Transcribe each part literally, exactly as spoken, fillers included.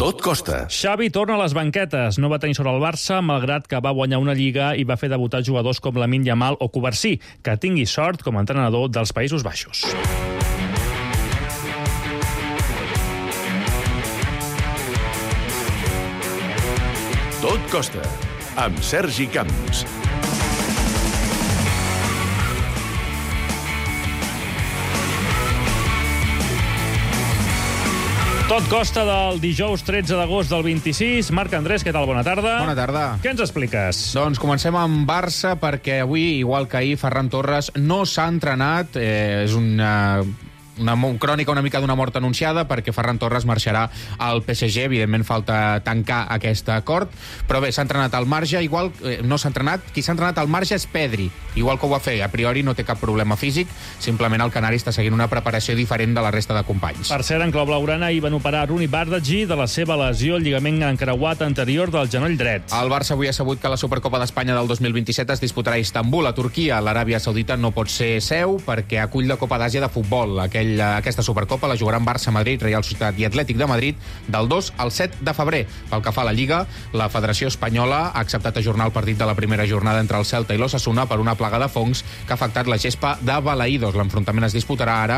Tot costa. Xavi torna a les banquetes. No va tenir sort al Barça, malgrat que va guanyar una Lliga i va fer debutar jugadors com Lamine Yamal o Cubarsí. Que tingui sort com a entrenador dels Països Baixos. Tot costa, amb Sergi Camps. Tot costa del dijous tretze d'agost del vint-i-sis. Marc Andrés, què tal? Bona tarda. Bona tarda. Què ens expliques? Doncs comencem amb Barça, perquè avui, igual que ahir, Ferran Torres no s'ha entrenat. Eh, és una... una crònica una mica d'una mort anunciada, perquè Ferran Torres marxarà al P S G. Evidentment falta tancar aquest acord, però bé, s'ha entrenat al marge. Igual eh, no s'ha entrenat, qui s'ha entrenat al marge és Pedri, igual que ho va fer. A priori no té cap problema físic, simplement el canari està seguint una preparació diferent de la resta de companys. Per cert, en clau blaugrana hi van operar Rooney Bardghji de la seva lesió al lligament encreuat anterior del genoll dret. El Barça avui ha sabut que la Supercopa d'Espanya del dos mil vint-i-set es disputarà a Istanbul, a Turquia. L'Aràbia Saudita no pot ser seu perquè acull la Copa d'Àsia de futbol. Aquell Aquesta Supercopa la jugaran Barça, Madrid, Real Societat i Atlètic de Madrid del dos al set de febrer. Pel que fa a la Lliga, la Federació Espanyola ha acceptat ajornar el partit de la primera jornada entre el Celta i l'Osasuna per una plaga de fongs que ha afectat la gespa de Balaïdos. L'enfrontament es disputarà ara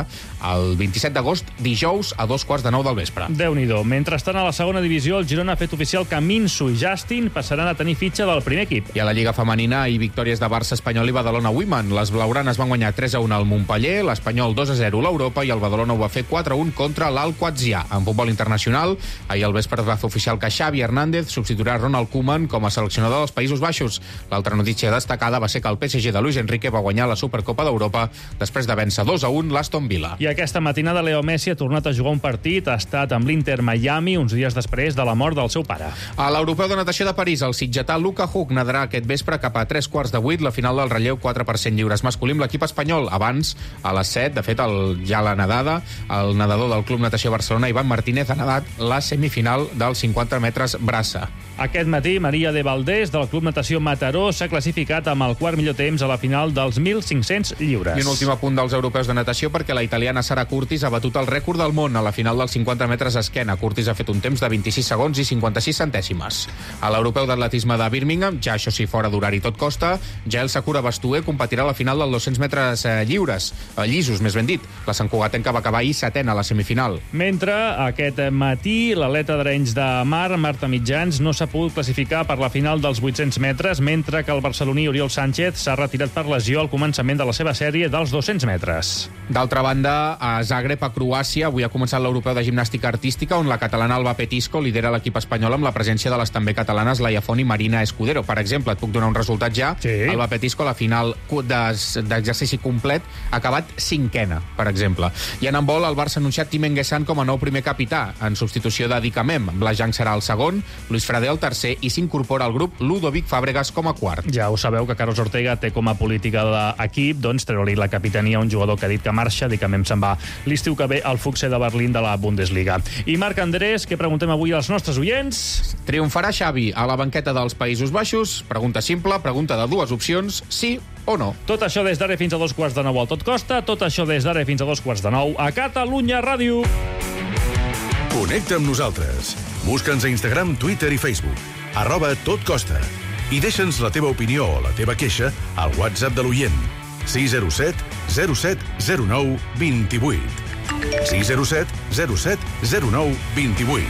el vint-i-set d'agost, dijous, a dos quarts de nou del vespre. Déu-n'hi-do. Mentrestant, a la segona divisió, el Girona ha fet oficial que Minso i Justin passaran a tenir fitxa del primer equip. I a la Lliga Femenina hi victòries de Barça, Espanyol i Badalona Women. Les blaugranes van guanyar tres a un al Montpeller, l'Espanyol dos a zero a l'Europa i el Badalona ho va fer quatre a un contra l'Al-Quatzia. En futbol internacional, ahir al vespre es va fer oficial que Xavi Hernández substituirà Ronald Koeman com a seleccionador dels Països Baixos. L'altra notícia destacada va ser que el P S G de Luis Enrique va guanyar la Supercopa d'Europa després de vèncer dos a un l'Aston Villa. I aquesta matinada Leo Messi ha tornat a jugar un partit, ha estat amb l'Inter Miami uns dies després de la mort del seu pare. A l'Europeu de Natació de París, el sitgetà Luka Hug nadarà aquest vespre cap a tres quarts de vuit la final del relleu quatre per cent lliures masculí amb l'equip espanyol. Abans, a les set, de fet, el, ja la nedada, el nedador del Club Natació Barcelona, Ivan Martínez, ha nedat la semifinal dels cinquanta metres braça. Aquest matí, Maria de Valdés, del Club Natació Mataró, s'ha classificat amb el quart millor temps a la final dels mil cinc-cents lliures. I un últim apunt dels europeus de natació, perquè la italiana Sara Curtis ha batut el rècord del món a la final dels cinquanta metres esquena. Curtis ha fet un temps de vint-i-sis segons i cinquanta-sis centèsimes. A l'europeu d'atletisme de Birmingham, ja això sí, fora d'horari tot costa, Jael Sakura Bastué competirà a la final dels dos-cents metres eh, lliures, eh, llisos, més ben dit. La santcugatenca va acabar ahir setena a la semifinal. Mentre aquest matí l'atleta d'Arenys de Mar, Marta Mitjans, no s'ha pogut classificar per la final dels vuit-cents metres, mentre que el barceloní Oriol Sánchez s'ha retirat per lesió al començament de la seva sèrie dels dos-cents metres. D'altra banda, a Zagreb, a Croàcia, avui ha començat l'europeu de gimnàstica artística, on la catalana Alba Petisco lidera l'equip espanyol amb la presència de les també catalanes Laia Font i Marina Escudero. Per exemple, et puc donar un resultat ja. Sí. Alba Petisco, la final d'exercici complet, ha acabat cinquena, per exemple. I en handbol, el Barça ha anunciat Tim Enguessan com a nou primer capità, en substitució de Dicamem. Blajang serà el segon, Luis Frade el tercer, i s'incorpora al grup Ludovic Fàbregas com a quart. Ja ho sabeu que Carlos Ortega té com a política de l'equip doncs treure-li la capitania a un jugador que ha dit que marxa, Dicamem se'n va l'estiu que ve al Fuchse de Berlín de la Bundesliga. I Marc Andrés, què preguntem avui als nostres oients? Triomfarà Xavi a la banqueta dels Països Baixos? Pregunta simple, pregunta de dues opcions, sí o no. Tot això des d'ara fins a dos quarts de nou al Tot Costa, tot això des d'ara fins a dos quarts de nou a Catalunya Ràdio. Connecta amb nosaltres. Busca'ns a Instagram, Twitter i Facebook. Arroba Tot Costa. I deixa'ns la teva opinió o la teva queixa al WhatsApp de l'oient. sis zero set zero set zero nou dos vuit. sis zero set zero set zero nou dos vuit.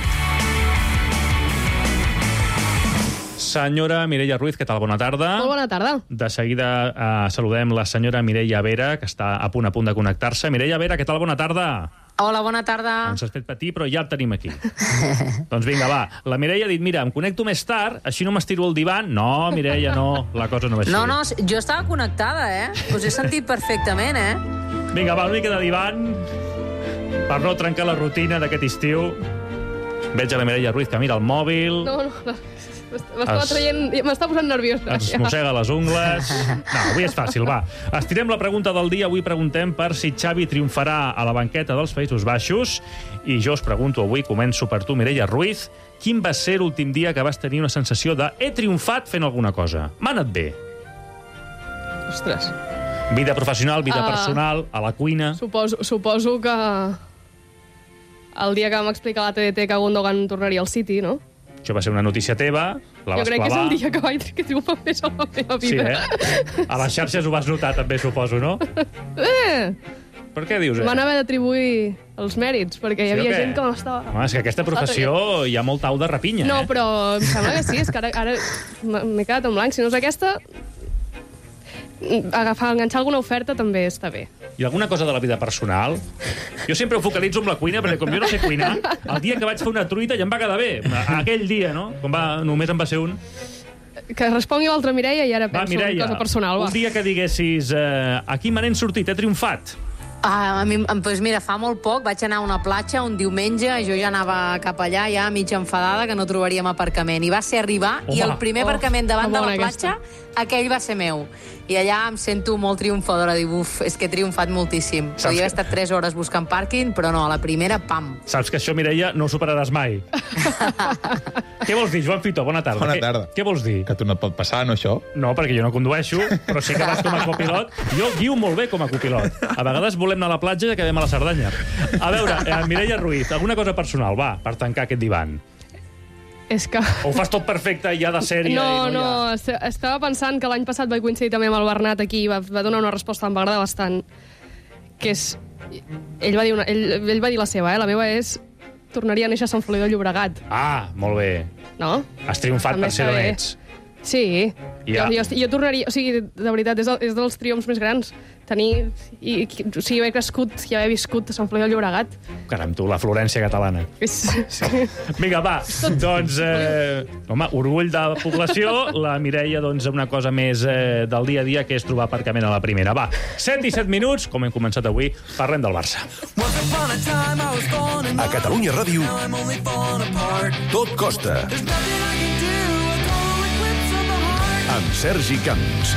Senyora Mireia Ruiz, què tal? Bona tarda. Molt bona tarda. De seguida eh, saludem la senyora Mireia Vera, que està a punt a punt de connectar-se. Mireia Vera, què tal? Bona tarda. Hola, bona tarda. Ens has fet patir, però ja el tenim aquí. Doncs vinga, va. La Mireia ha dit, mira, em connecto més tard, així no m'estiro al divan. No, Mireia, no, la cosa no va així. No, no, jo estava connectada, eh? Us he sentit perfectament, eh? Vinga, va, una mica de divan per no trencar la rutina d'aquest estiu. Veig a la Mireia Ruiz que mira el mòbil. No, no, no. M'estava Es- traient... M'està posant nerviosa. Ens mossega les ungles. No, avui és fàcil, va. Estirem la pregunta del dia. Avui preguntem per si Xavi triomfarà a la banqueta dels Països Baixos. I jo us pregunto avui, començo per tu, Mireia Ruiz, quin va ser l'últim dia que vas tenir una sensació de he triomfat fent alguna cosa? M'ha anat bé. Ostres. Vida professional, vida Ah. personal, a la cuina... Suposo, suposo que... el dia que vam explicar a la T D T que Gundogan tornaria al City, no? Això va ser una notícia teva, la Jo vas crec clavar. que és el dia que vaig que triomfa més a la meva Sí, vida. eh? A les xarxes ho vas notar, també, suposo, no? Eh! Per què dius, eh? Van haver d'atribuir els mèrits, perquè hi Sí o havia què? gent que no estava... Home, és que aquesta professió hi ha molt au de rapinya, No, eh? però em sembla que sí, és que ara, ara m'he quedat en blanc. Si no és aquesta, agafar, enganxar alguna oferta també està bé. I alguna cosa de la vida personal? Jo sempre ho focalitzo amb la cuina, perquè com jo no sé cuinar, el dia que vaig fer una truita ja em va quedar bé. Aquell dia, no? Com va, només en va ser un. Que respongui l'altra Mireia i ara Va, penso en Mireia, cosa personal. Va. un dia que diguessis eh, aquí me n'he sortit, he triomfat. Ah, a mi, doncs mira, fa molt poc vaig anar a una platja un diumenge, jo ja anava cap allà, ja mig enfadada, que no trobaríem aparcament. I va ser arribar, Home. i el primer Oh, aparcament davant que de la bona platja, aquell va ser meu. I allà em sento molt triomfadora, dic, uf, és que he triomfat moltíssim. Saps Podia que- haver estat tres hores buscant pàrquing, però no, a la primera, pam. Saps que això, Mireia, no ho superaràs mai. Què vols dir, Joan Fito? Bona tarda. Bona Què- tarda. Què vols dir? Que a tu no et pot passar, no, això? No, perquè jo no condueixo, però sí que vas com a copilot. Jo guio molt bé com a copilot. A vegades volem anar a la platja i acabem a la Cerdanya. A veure, eh, Mireia Ruiz, alguna cosa personal, va, per tancar aquest divan. És que... O ho fas tot perfecte, ja de sèrie... No, i no, no, hi ha... est- estava pensant que l'any passat vaig coincidir també amb el Bernat aquí i va, va donar una resposta que em va agradar bastant, que és... Ell va dir, una, ell, ell va dir la seva, eh? La meva és... Tornaria a néixer a Sant Feliu de Llobregat, Ah, molt bé. no? Has triomfat També per ser està d'on bé. ets. Sí, Ja. jo, jo, jo tornaria... O sigui, de veritat, és, el, és dels triomfs més grans. Tenir... I, o sigui, haver crescut i haver viscut a Sant Feliu de Llobregat. Caram, tu, la Florència catalana. És, sí. Vinga, va, doncs, eh, home, orgull de població, la Mireia, doncs, una cosa més eh, del dia a dia, que és trobar aparcament a la primera. Va, set i set minuts, com hem començat avui, parlem del Barça. A Catalunya Ràdio, tot costa. Amb Sergi Camps.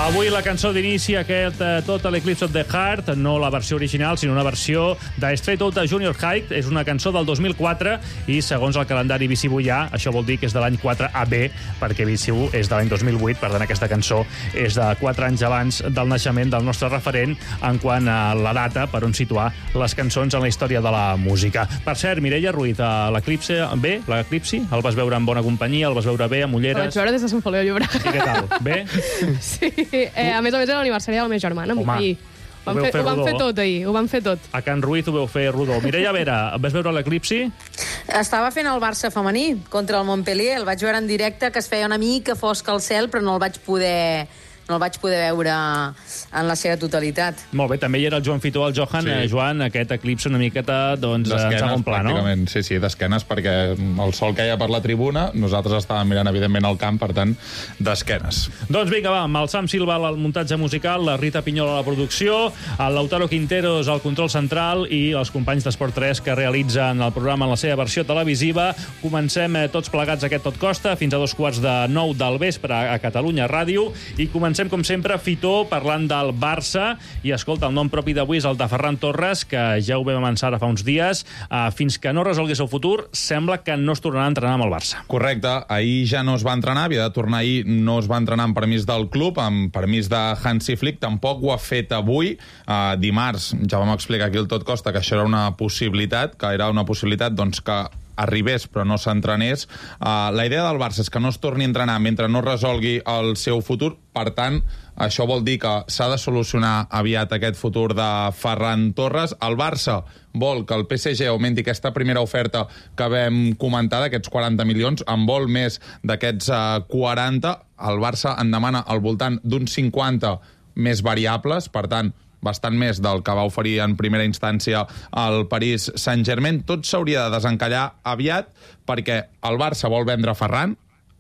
Avui la cançó d'inici aquest eh, Total Eclipse of the Heart, no la versió original, sinó una versió de Straight Outta Junior High. És una cançó del dos mil quatre i, segons el calendari Visibullà, això vol dir que és de l'any quatre A B, perquè Visibu és de l'any dos mil vuit, per tant aquesta cançó és de quatre anys abans del naixement del nostre referent en quant a la data per on situar les cançons en la història de la música. Per cert, Mireia Ruiz, a l'Eclipse B, l'Eclipsi, el vas veure en bona companyia, el vas veure bé, amb El vaig ulleres... veure des de Sant Feliu de Llobregat. I què tal? Bé? Sí, eh, a més a més era l'aniversari de la meva germana. Home, ahir. Ho vam, ho vau fer, fer ho vam rodó. fer tot ahir, ho vam fer tot. A Can Ruiz ho veu fer rodó. Mireia Vera, vas veure l'Eclipsi? Estava fent el Barça femení contra el Montpellier. El vaig veure en directe, que es feia una mica fosc al cel, però no el vaig poder... no el vaig poder veure en la seva totalitat. Molt bé, també hi era el Joan Fito, el Johan. Sí. Eh, Joan, aquest eclipse una miqueta doncs, en segon pla, no? pràcticament. Sí, sí, d'esquenes, perquè el sol caia per la tribuna, nosaltres estàvem mirant, evidentment, el camp, per tant, d'esquenes. Doncs vinga, va, amb el Sam Silva al muntatge musical, la Rita Pinyol a la producció, el Lautaro Quinteros al control central i els companys d'Esport tres que realitzen el programa en la seva versió televisiva. Comencem eh, tots plegats aquest Tot Costa fins a dos quarts de nou del vespre a Catalunya Ràdio i comencem, com sempre, Fitó, parlant del Barça. I, escolta, el nom propi d'avui és el de Ferran Torres, que ja ho vam avançar ara fa uns dies. Uh, fins que no resolgués el futur, sembla que no es tornarà a entrenar amb el Barça. Correcte, ahir ja no es va entrenar, havia de tornar ahir, no es va entrenar amb permís del club, amb permís de Hansi Flick, tampoc ho ha fet avui. Uh, dimarts, ja vam explicar aquí el Tot Costa que això era una possibilitat, que era una possibilitat doncs, que arribés però no s'entrenés. Uh, la idea del Barça és que no es torni a entrenar mentre no resolgui el seu futur. Per tant, això vol dir que s'ha de solucionar aviat aquest futur de Ferran Torres. El Barça vol que el P S G augmenti aquesta primera oferta que vam comentar, d'aquests quaranta milions, en vol més d'aquests uh, quaranta. El Barça en demana al voltant d'uns cinquanta més variables, per tant, bastant més del que va oferir en primera instància el Paris Saint-Germain. Tot s'hauria de desencallar aviat perquè el Barça vol vendre Ferran,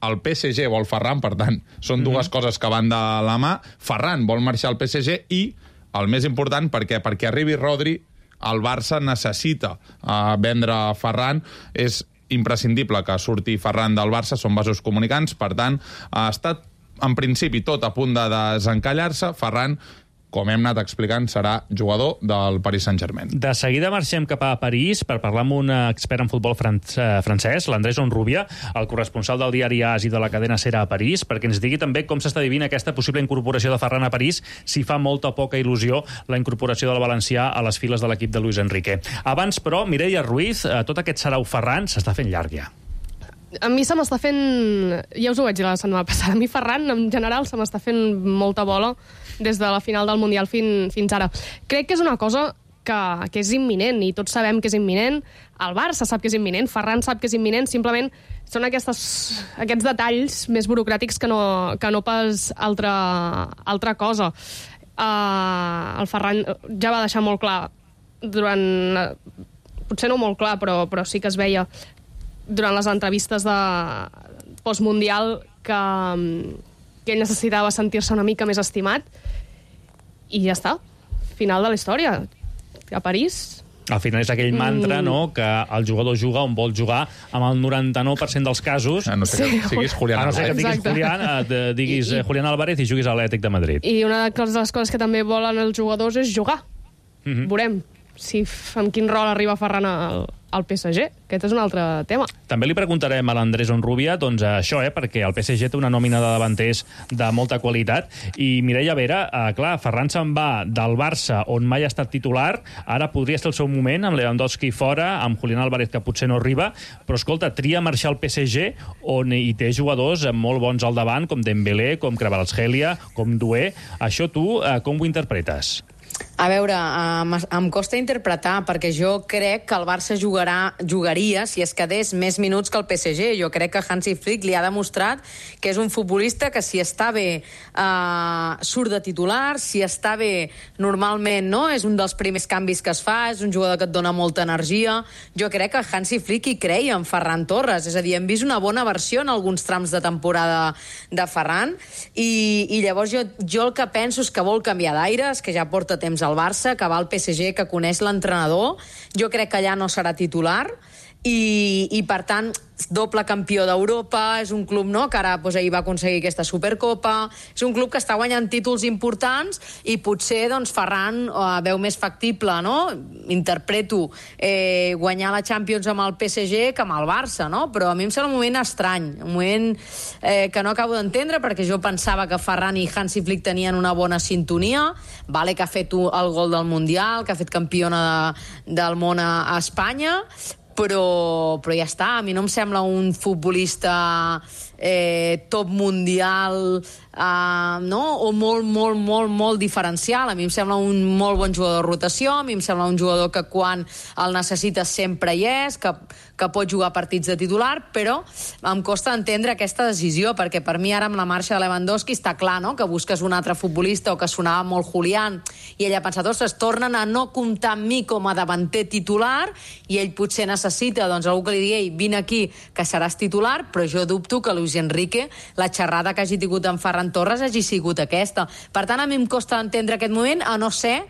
el P S G vol Ferran, per tant, són dues mm-hmm. coses que van de la mà. Ferran vol marxar al P S G i, el més important, perquè perquè arribi Rodri, el Barça necessita uh, vendre Ferran. És imprescindible que surti Ferran del Barça, són vasos comunicants, per tant, ha estat en principi tot a punt de desencallar-se. Ferran com hem anat explicant, serà jugador del Paris Saint-Germain. De seguida marxem cap a París per parlar amb un expert en futbol francès, l'Andrés Onrubia, el corresponsal del diari A S i de la cadena SER a París, perquè ens digui també com s'està vivint aquesta possible incorporació de Ferran a París, si fa molta o poca il·lusió la incorporació del valencià a les files de l'equip de Luis Enrique. Abans, però, Mireia Ruiz, tot aquest sarau Ferran s'està fent llarg ja. A mi se m'està fent... Ja us ho vaig dir la setmana passada. A mi Ferran, en general, se m'està fent molta bola des de la final del Mundial fin, fins ara. Crec que és una cosa que, que és imminent, i tots sabem que és imminent. El Barça sap que és imminent, Ferran sap que és imminent, simplement són aquestes, aquests detalls més burocràtics que no, que no pas altra, altra cosa. Uh, el Ferran ja va deixar molt clar durant... Potser no molt clar, però, però sí que es veia durant les entrevistes de postmundial que, que ell necessitava sentir-se una mica més estimat, i ja està. Final de la història. A París... Al final és aquell mantra, mm. no?, que el jugador juga on vol jugar, amb el noranta-nou per cent dels casos... A no ser que sí. siguis Julián A no ser que diguis, Julián, et diguis I, Julián Álvarez i juguis a l'Atlètic de Madrid. I una de les coses que també volen els jugadors és jugar. Mm-hmm. Veurem si amb quin rol arriba Ferran al, al P S G. Aquest és un altre tema. També li preguntarem a l'Andrés Onrubia doncs això, eh, perquè el P S G té una nòmina de davanters de molta qualitat, i Mireia Vera, eh, clar, Ferran se'n va del Barça, on mai ha estat titular, ara podria ser el seu moment, amb Lewandowski fora, amb Julián Álvarez, que potser no arriba, però escolta, tria marxar al P S G, on hi té jugadors molt bons al davant, com Dembélé, com Kvaratskhelia, com Doué. Això tu, eh, com ho interpretes? A veure, em, em costa interpretar, perquè jo crec que el Barça jugarà, jugaria si es quedés més minuts que el P S G. Jo crec que Hansi Flick li ha demostrat que és un futbolista que, si està bé, eh, surt de titular, si està bé, normalment, no? És un dels primers canvis que es fa, és un jugador que et dona molta energia. Jo crec que Hansi Flick hi creia en Ferran Torres, és a dir, hem vist una bona versió en alguns trams de temporada de Ferran, i, i llavors jo, jo el que penso és que vol canviar d'aires, que ja porta temps al Barça, que va al P S G, que coneix l'entrenador. Jo crec que allà no serà titular, i, i per tant, doble campió d'Europa, és un club, no?, que ara doncs, ahir va aconseguir aquesta Supercopa, és un club que està guanyant títols importants, i potser doncs, Ferran eh, veu més factible, no?, interpreto, eh, guanyar la Champions amb el P S G que amb el Barça, no?, però a mi em sembla un moment estrany, un moment eh, que no acabo d'entendre, perquè jo pensava que Ferran i Hansi Flick tenien una bona sintonia, vale que ha fet el gol del Mundial, que ha fet campiona de, del món a, a Espanya, però, però ja està, a mi no em sembla un futbolista eh, top mundial, eh, no? O molt, molt, molt, molt diferencial. A mi em sembla un molt bon jugador de rotació, a mi em sembla un jugador que quan el necessites sempre hi és, que, que pot jugar partits de titular, però em costa entendre aquesta decisió, perquè per mi ara amb la marxa de Lewandowski està clar, no?, que busques un altre futbolista, o que sonava molt Julián, i ell ha pensat, ostres, tornen a no comptar amb mi com a davanter titular, i ell potser necessita doncs, algú que li digui, vine aquí, que seràs titular, però jo dubto que Luis Enrique, la xerrada que hagi tingut amb Ferran Torres hagi sigut aquesta. Per tant, a mi em costa entendre aquest moment, a no ser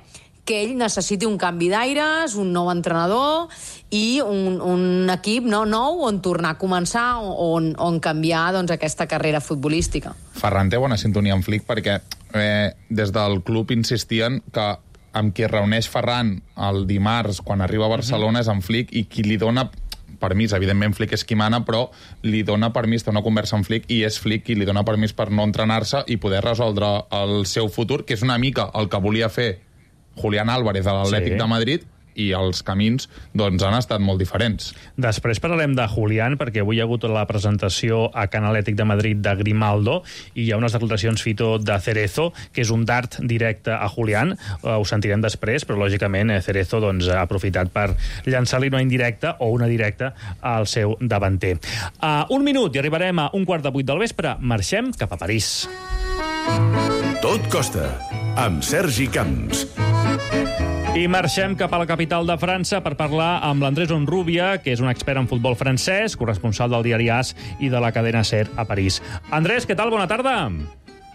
que ell necessiti un canvi d'aires, un nou entrenador i un, un equip no, nou on tornar a començar, on, on canviar doncs, aquesta carrera futbolística. Ferran té bona sintonia amb Flick, perquè eh, des del club insistien que amb qui reuneix Ferran el dimarts quan arriba a Barcelona és amb Flick, i qui li dona permís, evidentment Flick és qui mana, però li dona permís, té una conversa amb Flick, i és Flick qui li dona permís per no entrenar-se i poder resoldre el seu futur, que és una mica el que volia fer Julián Álvarez a l'Atlètic sí. de Madrid, i els camins doncs, han estat molt diferents. Després parlarem de Julián, perquè avui hi ha hagut la presentació a Can Atlètic de Madrid de Grimaldo, i hi ha unes declaracions, Fito, de Cerezo, que és un dart directe a Julián. Uh, ho sentirem després, però lògicament Cerezo doncs, ha aprofitat per llançar-li una indirecta o una directa al seu davanter. Uh, un minut i arribarem a un quart de vuit del vespre. Marxem cap a París. Tot costa, amb Sergi Camps. I marxem cap a la capital de França per parlar amb l'Andrés Onrubia, que és un expert en futbol francès, corresponsal del diari A S i de la cadena SER a París. Andrés, ¿qué tal? Buena tarde.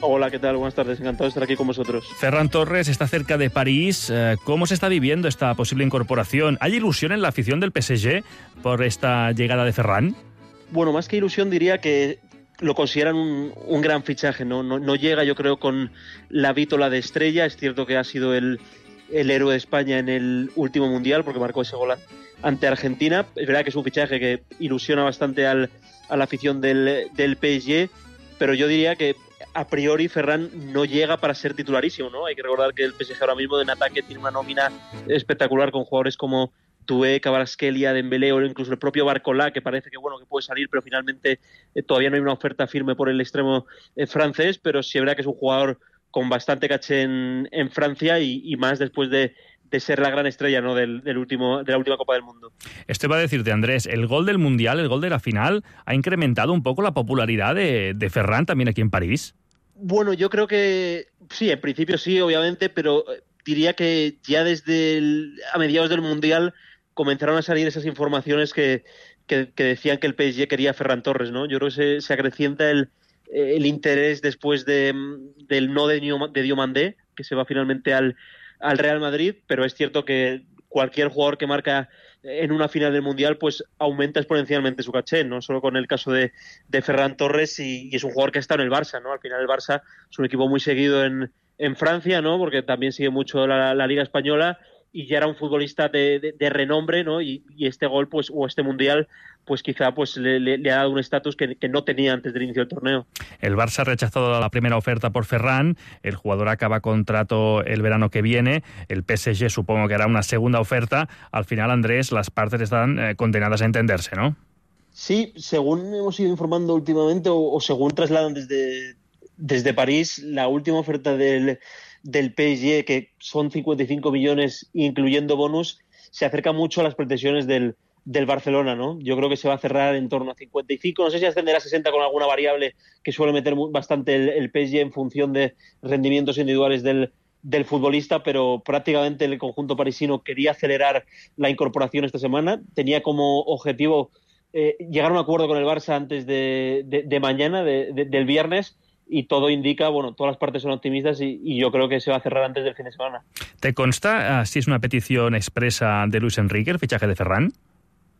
Hola, ¿qué tal? Buenas tardes, encantado de estar aquí con vosotros. Ferran Torres está cerca de París. ¿Cómo se está viviendo esta posible incorporación? ¿Hay ilusión en la afición del P S G por esta llegada de Ferran? Bueno, más que ilusión diría que lo consideran un, un gran fichaje, ¿no? No, no llega, yo creo, con la vítola de estrella. Es cierto que ha sido el, el héroe de España en el último Mundial, porque marcó ese gol ante Argentina. Es verdad que es un fichaje que ilusiona bastante al, a la afición del, del P S G, pero yo diría que a priori Ferran no llega para ser titularísimo, ¿no? Hay que recordar que el P S G ahora mismo en ataque tiene una nómina espectacular con jugadores como Doué, Kvaratskhelia, Dembélé o incluso el propio Barcola, que parece que bueno que puede salir, pero finalmente eh, todavía no hay una oferta firme por el extremo eh, francés, pero sí es verdad que es un jugador con bastante caché en, en Francia y, y más después de, de ser la gran estrella, ¿no? del, del último, de la última Copa del Mundo. Esto iba a decirte, Andrés, el gol del Mundial, el gol de la final, ¿ha incrementado un poco la popularidad de, de Ferran también aquí en París? Bueno, yo creo que sí, en principio sí, obviamente, pero diría que ya desde el, a mediados del Mundial comenzaron a salir esas informaciones que, que, que decían que el P S G quería a Ferran Torres, ¿no? Yo creo que se, se acrecienta el, el interés después de, del no de, de Diomandé, que se va finalmente al, al Real Madrid, pero es cierto que cualquier jugador que marca en una final del Mundial pues aumenta exponencialmente su caché, no solo con el caso de, de Ferran Torres, y, y es un jugador que ha estado en el Barça, ¿no? Al final el Barça es un equipo muy seguido en, en Francia, ¿no? Porque también sigue mucho la, la Liga Española, y ya era un futbolista de, de, de renombre, ¿no? Y, y este gol, pues, o este Mundial, pues quizá pues le, le, le ha dado un estatus que, que no tenía antes del inicio del torneo. El Barça ha rechazado la primera oferta por Ferran, el jugador acaba contrato el verano que viene, el P S G supongo que hará una segunda oferta. Al final, Andrés, las partes están eh, condenadas a entenderse, ¿no? Sí, según hemos ido informando últimamente, o, o según trasladan desde, desde París, la última oferta del del P S G, que son cincuenta y cinco millones incluyendo bonus, se acerca mucho a las pretensiones del, del Barcelona, ¿no? Yo creo que se va a cerrar en torno a cincuenta y cinco, no sé si ascenderá a sesenta con alguna variable que suele meter bastante el, el P S G en función de rendimientos individuales del, del futbolista, pero prácticamente el conjunto parisino quería acelerar la incorporación esta semana, tenía como objetivo eh, llegar a un acuerdo con el Barça antes de, de, de mañana, de, de, del viernes, y todo indica, bueno, todas las partes son optimistas y, y yo creo que se va a cerrar antes del fin de semana. ¿Te consta uh, si es una petición expresa de Luis Enrique, el fichaje de Ferran?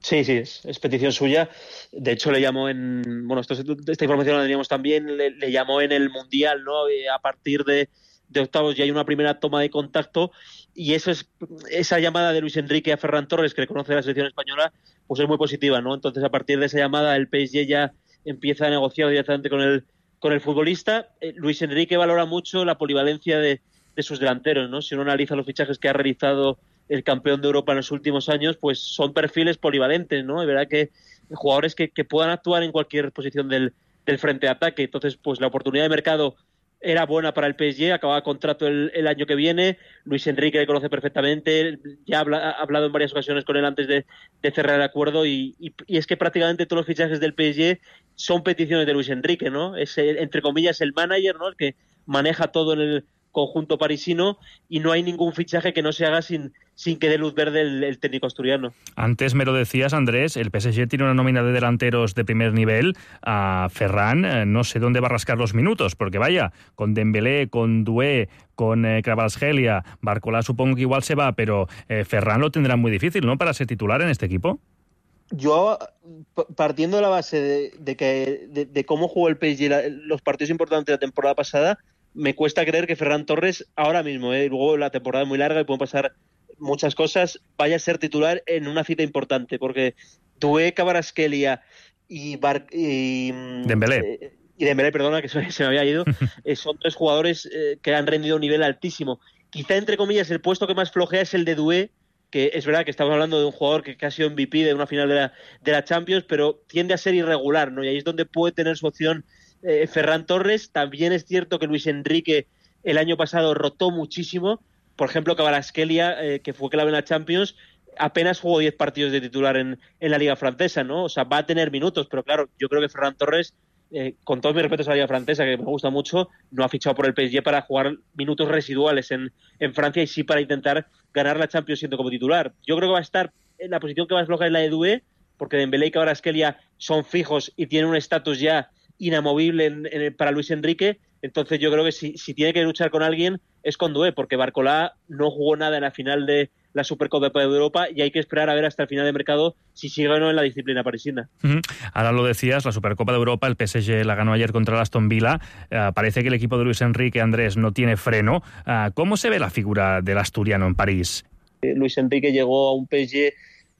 Sí, sí, es, es petición suya. De hecho, le llamó en... Bueno, esto, esta información la teníamos también, le, le llamó en el Mundial, ¿no? Eh, a partir de, de octavos ya hay una primera toma de contacto, y eso es esa llamada de Luis Enrique a Ferran Torres, que le conoce la selección española, pues es muy positiva, ¿no? Entonces, a partir de esa llamada, el P S G ya empieza a negociar directamente con el con el futbolista. eh, Luis Enrique valora mucho la polivalencia de, de sus delanteros, ¿no? Si uno analiza los fichajes que ha realizado el campeón de Europa en los últimos años, pues son perfiles polivalentes, ¿no? Es verdad que jugadores que, que puedan actuar en cualquier posición del, del frente de ataque. Entonces, pues la oportunidad de mercado era buena para el P S G, acababa contrato el, el año que viene. Luis Enrique le conoce perfectamente, ya habla, ha hablado en varias ocasiones con él antes de, de cerrar el acuerdo, y, y, y es que prácticamente todos los fichajes del P S G son peticiones de Luis Enrique, ¿no? Es, el, entre comillas, el manager, ¿no? El que maneja todo en el conjunto parisino, y no hay ningún fichaje que no se haga sin, sin que dé luz verde el, el técnico asturiano. Antes me lo decías, Andrés, el P S G tiene una nómina de delanteros de primer nivel. A Ferran eh, no sé dónde va a rascar los minutos, porque vaya, con Dembélé, con Doué, con eh, Kvaratskhelia, Barcola supongo que igual se va, pero eh, Ferran lo tendrá muy difícil, ¿no?, para ser titular en este equipo. Yo, partiendo de la base de, de, que, de, de cómo jugó el P S G la, los partidos importantes de la temporada pasada, me cuesta creer que Ferran Torres ahora mismo, ¿eh? luego la temporada es muy larga y pueden pasar muchas cosas, vaya a ser titular en una cita importante, porque Doué, Kvaratskhelia y, Bar y Dembélé. Eh, y Dembélé, perdona, que se, se me había ido, eh, son tres jugadores eh, que han rendido a un nivel altísimo. Quizá, entre comillas, el puesto que más flojea es el de Doué, que es verdad que estamos hablando de un jugador que, que ha sido M V P de una final de la, de la Champions, pero tiende a ser irregular, ¿no? Y ahí es donde puede tener su opción eh, Ferran Torres. También es cierto que Luis Enrique el año pasado rotó muchísimo. Por ejemplo, Kvaratskhelia, eh, que fue clave en la Champions, apenas jugó diez partidos de titular en, en la Liga Francesa, ¿no? O sea, va a tener minutos, pero claro, yo creo que Ferran Torres, eh, con todos mis respetos a la Liga Francesa, que me gusta mucho, no ha fichado por el P S G para jugar minutos residuales en, en Francia, y sí para intentar ganar la Champions siendo como titular. Yo creo que va a estar en la posición que más floja es la de Doué, porque Dembélé y Kvaratskhelia son fijos y tienen un estatus ya inamovible en, en, para Luis Enrique. Entonces yo creo que si, si tiene que luchar con alguien es con Doué, porque Barcola no jugó nada en la final de, la Supercopa de Europa y hay que esperar a ver hasta el final de mercado si sigue o no en la disciplina parisina. Uh-huh. Ahora lo decías, la Supercopa de Europa, el P S G la ganó ayer contra el Aston Villa. Uh, parece que el equipo de Luis Enrique, Andrés, no tiene freno. Uh, ¿Cómo se ve la figura del asturiano en París? Eh, Luis Enrique llegó a un P S G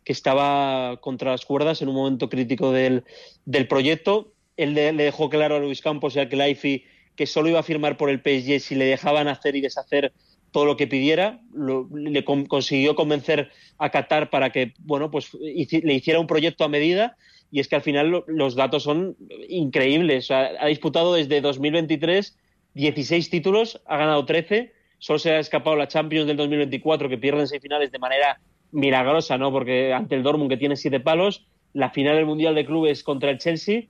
que estaba contra las cuerdas en un momento crítico del, del proyecto. Él le, le dejó claro a Luis Campos y a Kelaifi que solo iba a firmar por el P S G si le dejaban hacer y deshacer todo lo que pidiera. Lo, le con, consiguió convencer a Qatar para que, bueno, pues hici, le hiciera un proyecto a medida, y es que al final lo, los datos son increíbles. O sea, ha disputado desde dos mil veintitrés dieciséis títulos, ha ganado trece, solo se ha escapado la Champions del dos mil veinticuatro, que pierden seis finales de manera milagrosa, ¿no? Porque ante el Dortmund, que tiene siete palos, la final del Mundial de Clubes contra el Chelsea,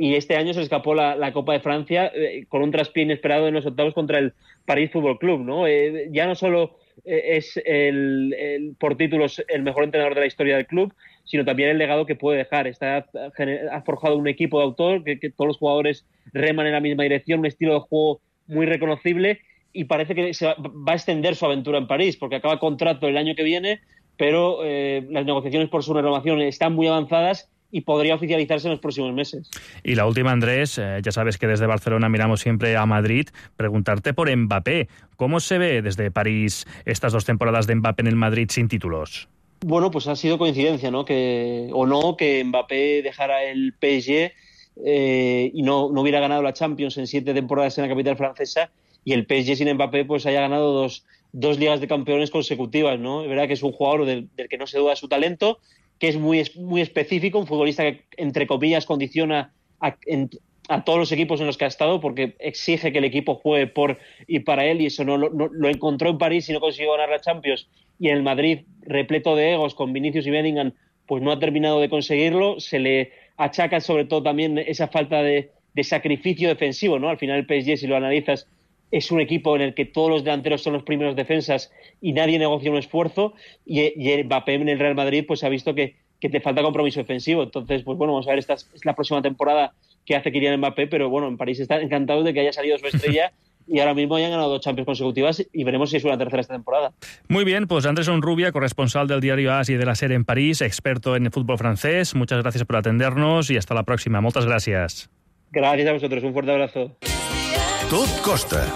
y este año se escapó la, la Copa de Francia eh, con un traspié inesperado en los octavos contra el París Fútbol Club, ¿no? Eh, ya no solo eh, es el, el, por títulos el mejor entrenador de la historia del club, sino también el legado que puede dejar. Está, ha forjado un equipo de autor, que, que todos los jugadores reman en la misma dirección, un estilo de juego muy reconocible, y parece que se va, va a extender su aventura en París, porque acaba contrato el año que viene, pero eh, las negociaciones por su renovación están muy avanzadas y podría oficializarse en los próximos meses. Y la última, Andrés, eh, ya sabes que desde Barcelona miramos siempre a Madrid, preguntarte por Mbappé. ¿Cómo se ve desde París estas dos temporadas de Mbappé en el Madrid sin títulos? Bueno, pues ha sido coincidencia, ¿no? Que, o no, que Mbappé dejara el P S G eh, y no, no hubiera ganado la Champions en siete temporadas en la capital francesa, y el P S G sin Mbappé pues haya ganado dos, dos ligas de campeones consecutivas, ¿no? Es verdad que es un jugador del, del que no se duda su talento, que es muy, muy específico, un futbolista que, entre comillas, condiciona a, en, a todos los equipos en los que ha estado, porque exige que el equipo juegue por y para él, y eso no, no lo encontró en París y no consiguió ganar la Champions, y en el Madrid, repleto de egos, con Vinicius y Bellingham, pues no ha terminado de conseguirlo. Se le achaca sobre todo también esa falta de, de sacrificio defensivo, ¿no? Al final el P S G, si lo analizas, es un equipo en el que todos los delanteros son los primeros defensas y nadie negocia un esfuerzo, y, y Mbappé en el Real Madrid pues ha visto que, que te falta compromiso defensivo. Entonces, pues bueno, vamos a ver, esta es la próxima temporada que hace Kylian Mbappé, pero bueno, en París están encantados de que haya salido su estrella y ahora mismo hayan ganado dos Champions consecutivas, y veremos si es una tercera esta temporada. Muy bien, pues Andrés Onrubia, corresponsal del diario AS y de la SER en París, experto en el fútbol francés. Muchas gracias por atendernos y hasta la próxima. Muchas gracias. Gracias a vosotros, un fuerte abrazo. Tot costa.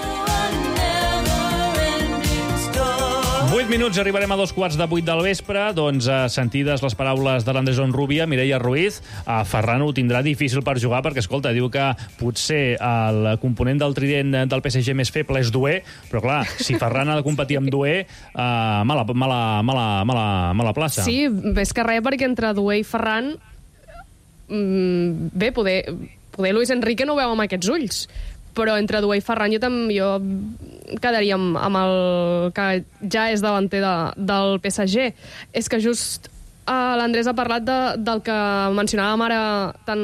vuit minuts, arribarem a dos quarts de vuit del vespre. Doncs, eh, sentides les paraules de l'Andrés Onrubia, Mireia Ruiz, a Ferran ho tindrà difícil per jugar, perquè, escolta, diu que potser el component del trident del P S G més feble és Doué, però, clar, si Ferran ha de competir amb Doué, eh, mala, mala, mala, mala, mala plaça. Sí, més que res, perquè entre Doué i Ferran, mmm, bé, poder, poder Luis Enrique no ho veu amb aquests ulls, però entre Doué i Ferran jo també jo quedaria amb, amb el que ja és davanter de, del P S G. És que just uh, l'Andrés ha parlat de, del que mencionàvem ara tant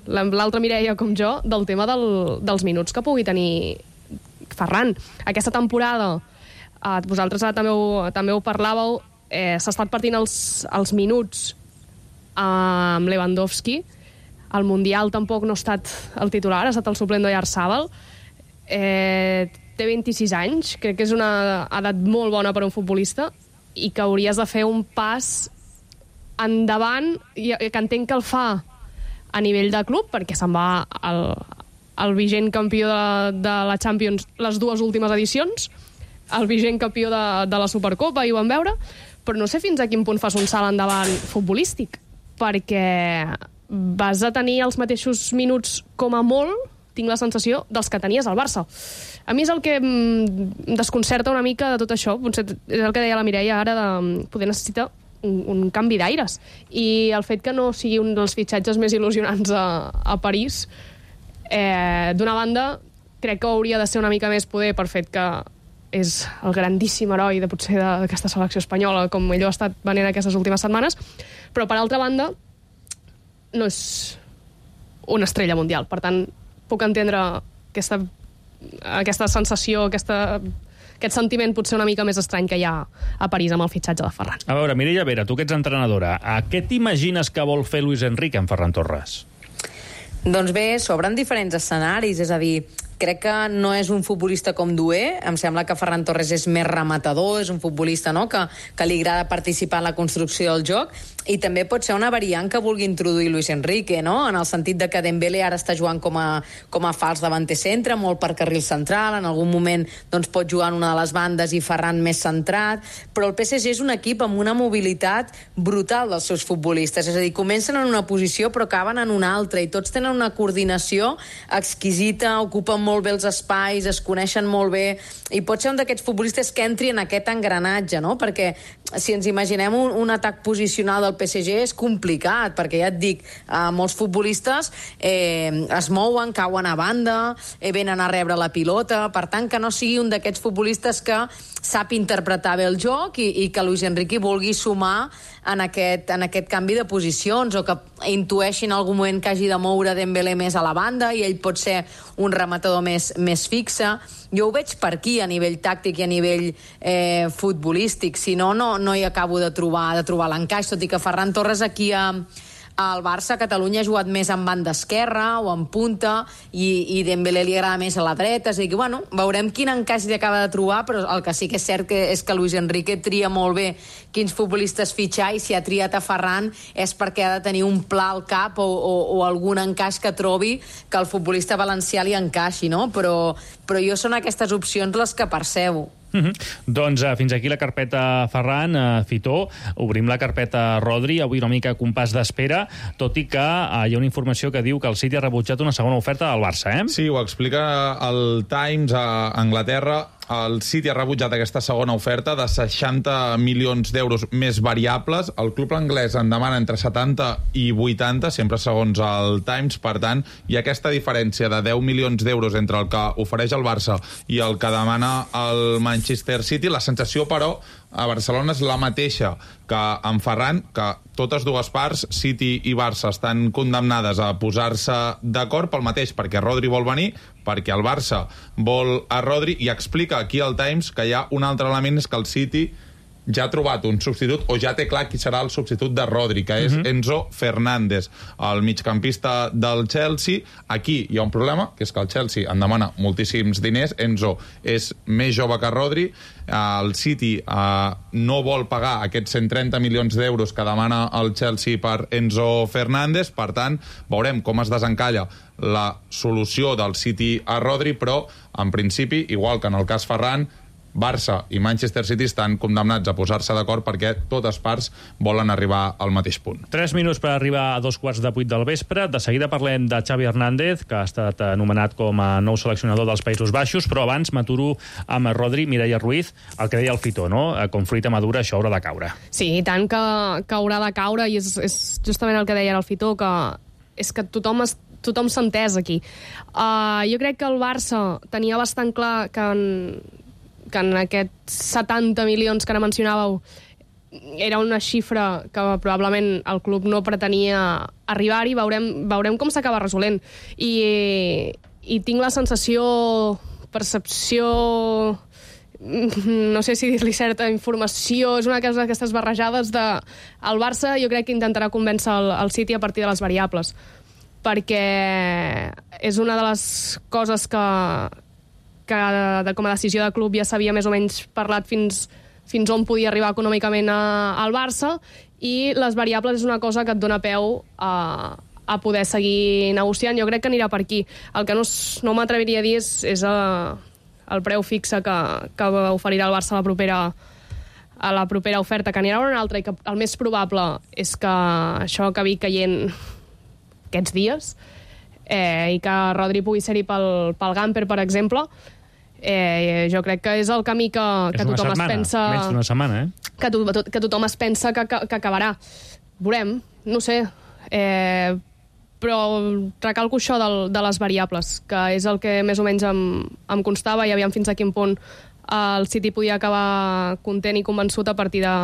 l'altra Mireia com jo, del tema del, dels minuts que pugui tenir Ferran. Aquesta temporada, uh, vosaltres també ho, també ho parlàveu, eh, s'ha estat partint els, els minuts uh, amb Lewandowski. Al Mundial tampoc no ha estat el titular, ha estat el suplent d'Oyarzabal. Eh, té vint-i-sis anys, crec que és una edat molt bona per a un futbolista i que hauries de fer un pas endavant, i que entenc que el fa a nivell de club, perquè se'n va el, el vigent campió de, de la Champions les dues últimes edicions, el vigent campió de, de la Supercopa, i ho vam veure, però no sé fins a quin punt fas un salt endavant futbolístic, perquè vas a tenir els mateixos minuts com a molt, tinc la sensació, dels que tenies al Barça. A mi és el que em desconcerta una mica de tot això, potser és el que deia la Mireia ara, de poder necessitar un, un canvi d'aires. I el fet que no sigui un dels fitxatges més il·lusionants a, a París, eh, d'una banda, crec que hauria de ser una mica més poder per fet que és el grandíssim heroi de potser d'aquesta selecció espanyola, com ell ho ha estat venent aquestes últimes setmanes, però per altra banda no és una estrella mundial. Per tant, puc entendre aquesta, aquesta sensació, aquesta, aquest sentiment potser una mica més estrany que hi ha a París amb el fitxatge de Ferran. A veure, Mireia Vera, tu que ets entrenadora, a què t'imagines que vol fer Luis Enrique amb Ferran Torres? Doncs bé, s'obren diferents escenaris, és a dir, crec que no és un futbolista com Doué, em sembla que Ferran Torres és més rematador, és un futbolista, no?, que, que li agrada participar en la construcció del joc, i també pot ser una variant que vulgui introduir Luis Enrique, no?, en el sentit de que Dembélé ara està jugant com a, com a fals davanter centre, molt per carril central, en algun moment doncs, pot jugar en una de les bandes i Ferran més centrat, però el P S G és un equip amb una mobilitat brutal dels seus futbolistes, és a dir, comencen en una posició però acaben en una altra, i tots tenen una coordinació exquisita, ocupen molt bé els espais, es coneixen molt bé, i pot ser un d'aquests futbolistes que entri en aquest engranatge, no? Perquè si ens imaginem un, un atac posicional del P S G és complicat, perquè ja et dic, eh, molts futbolistes eh, es mouen, cauen a banda, eh, venen a rebre la pilota, per tant que no sigui un d'aquests futbolistes que sap interpretar bé el joc i, i que Luis Enrique vulgui sumar en aquest, en aquest canvi de posicions, o que intueixin en algun moment que hagi de moure Dembélé més a la banda i ell pot ser un rematador més, més fixe. Jo ho veig per aquí, a nivell tàctic i a nivell eh, futbolístic. Si no, no, no hi acabo de trobar, de trobar l'encaix, tot i que Ferran Torres aquí a, al Barça, a Catalunya, ha jugat més en banda esquerra o en punta, i, i Dembélé li agrada més a la dreta, és a dir que, bueno, veurem quin encaix li acaba de trobar, però el que sí que és cert que és que Luis Enrique tria molt bé quins futbolistes fitxar, i si ha triat a Ferran és perquè ha de tenir un pla al cap o, o, o algun encaix que trobi que el futbolista valencià li encaixi, no? Però, però jo són aquestes opcions les que percebo. Mm-hmm. Doncs uh, fins aquí la carpeta Ferran, uh, Fitó. Obrim la carpeta Rodri, avui una mica compàs d'espera, tot i que uh, hi ha una informació que diu que el City ha rebutjat una segona oferta del Barça, eh? Sí, ho explica el Times a Anglaterra. El City ha rebutjat aquesta segona oferta de seixanta milions d'euros més variables. El club anglès en demana entre setanta i vuitanta, sempre segons el Times. Per tant, hi ha aquesta diferència de deu milions d'euros entre el que ofereix el Barça i el que demana el Manchester City. La sensació, però, a Barcelona és la mateixa que en Ferran, que totes dues parts, City i Barça, estan condemnades a posar-se d'acord pel mateix, perquè Rodri vol venir, perquè el Barça vol a Rodri, i explica aquí al Times que hi ha un altre element, és que el City ja ha trobat un substitut, o ja té clar qui serà el substitut de Rodri, que és uh-huh. Enzo Fernández, el migcampista del Chelsea. Aquí hi ha un problema, que és que el Chelsea en demana moltíssims diners. Enzo és més jove que Rodri, el City eh, no vol pagar aquests cent trenta milions d'euros que demana el Chelsea per Enzo Fernández. Per tant, veurem com es desencalla la solució del City a Rodri, però en principi, igual que en el cas Ferran, Barça i Manchester City estan condemnats a posar-se d'acord perquè totes parts volen arribar al mateix punt. Tres minuts per arribar a dos quarts de vuit del vespre. De seguida parlem de Xavi Hernández, que ha estat anomenat com a nou seleccionador dels Països Baixos, però abans m'aturo amb Rodri, Mireia Ruiz, el que deia el Fitó, no? Com fruita madura això haurà de caure. Sí, i tant que, que haurà de caure, i és, és justament el que deia el Fitó, que és que tothom es tothom s'ha entès aquí. Uh, jo crec que el Barça tenia bastant clar que en, que en aquests setanta milions que ara mencionàveu era una xifra que probablement el club no pretenia arribar-hi. Veurem, veurem com s'acaba resolent. I, I tinc la sensació, percepció, no sé si dir-li certa informació, és una cosa d'aquestes barrejades de... El Barça jo crec que intentarà convèncer el, el City a partir de les variables, perquè és una de les coses que, que de, com a decisió de club ja s'havia més o menys parlat fins, fins on podia arribar econòmicament a, al Barça, i les variables és una cosa que et dona peu a, a poder seguir negociant. Jo crec que anirà per aquí. El que no, no m'atreviria a dir és, és a, el preu fixe que, que oferirà el Barça a la propera a la propera oferta, que anirà una altra, i que el més probable és que això acabi caient aquests dies, eh, i que Rodri pugui ser-hi pel, pel Gamper, per exemple. Eh, jo crec que és el camí que, que tothom setmana, es pensa... menys d'una setmana, eh? Que, to, que tothom es pensa que, que, que acabarà. Veurem, no sé. Eh, però recalco això del, de les variables, que és el que més o menys em, em constava, i aviam fins a quin punt el City podia acabar content i convençut a partir de,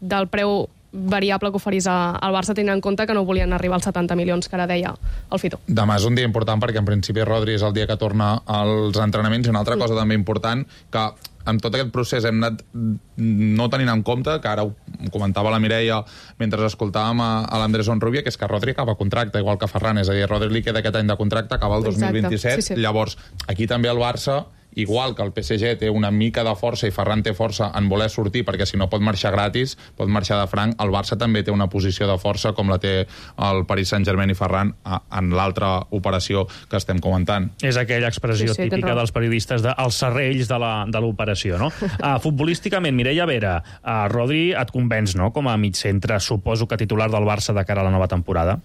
del preu variable que oferís al Barça, tenint en compte que no volien arribar als setanta milions que ara deia el Fito. Demà és un dia important perquè en principi Rodri és el dia que torna als entrenaments, i una altra cosa també important, que en tot aquest procés hem anat no tenint en compte, que ara ho comentava la Mireia mentre escoltàvem a, a l'Andrés Onrubia, que és que Rodri acaba contracte, igual que Ferran, és a dir, Rodri li queda aquest any de contracte, acaba el dos mil vint-i-set, sí, sí. Llavors, aquí també el Barça, igual que el P S G té una mica de força i Ferran té força en voler sortir, perquè si no pot marxar gratis, pot marxar de franc, el Barça també té una posició de força com la té el Paris Saint-Germain i Ferran en l'altra operació que estem comentant. És aquella expressió sí, sí, típica dels periodistes de els serrells de l'operació, no? uh, futbolísticament, Mireia Vera, uh, Rodri et convenç, no?, com a mig centre, suposo que titular del Barça de cara a la nova temporada?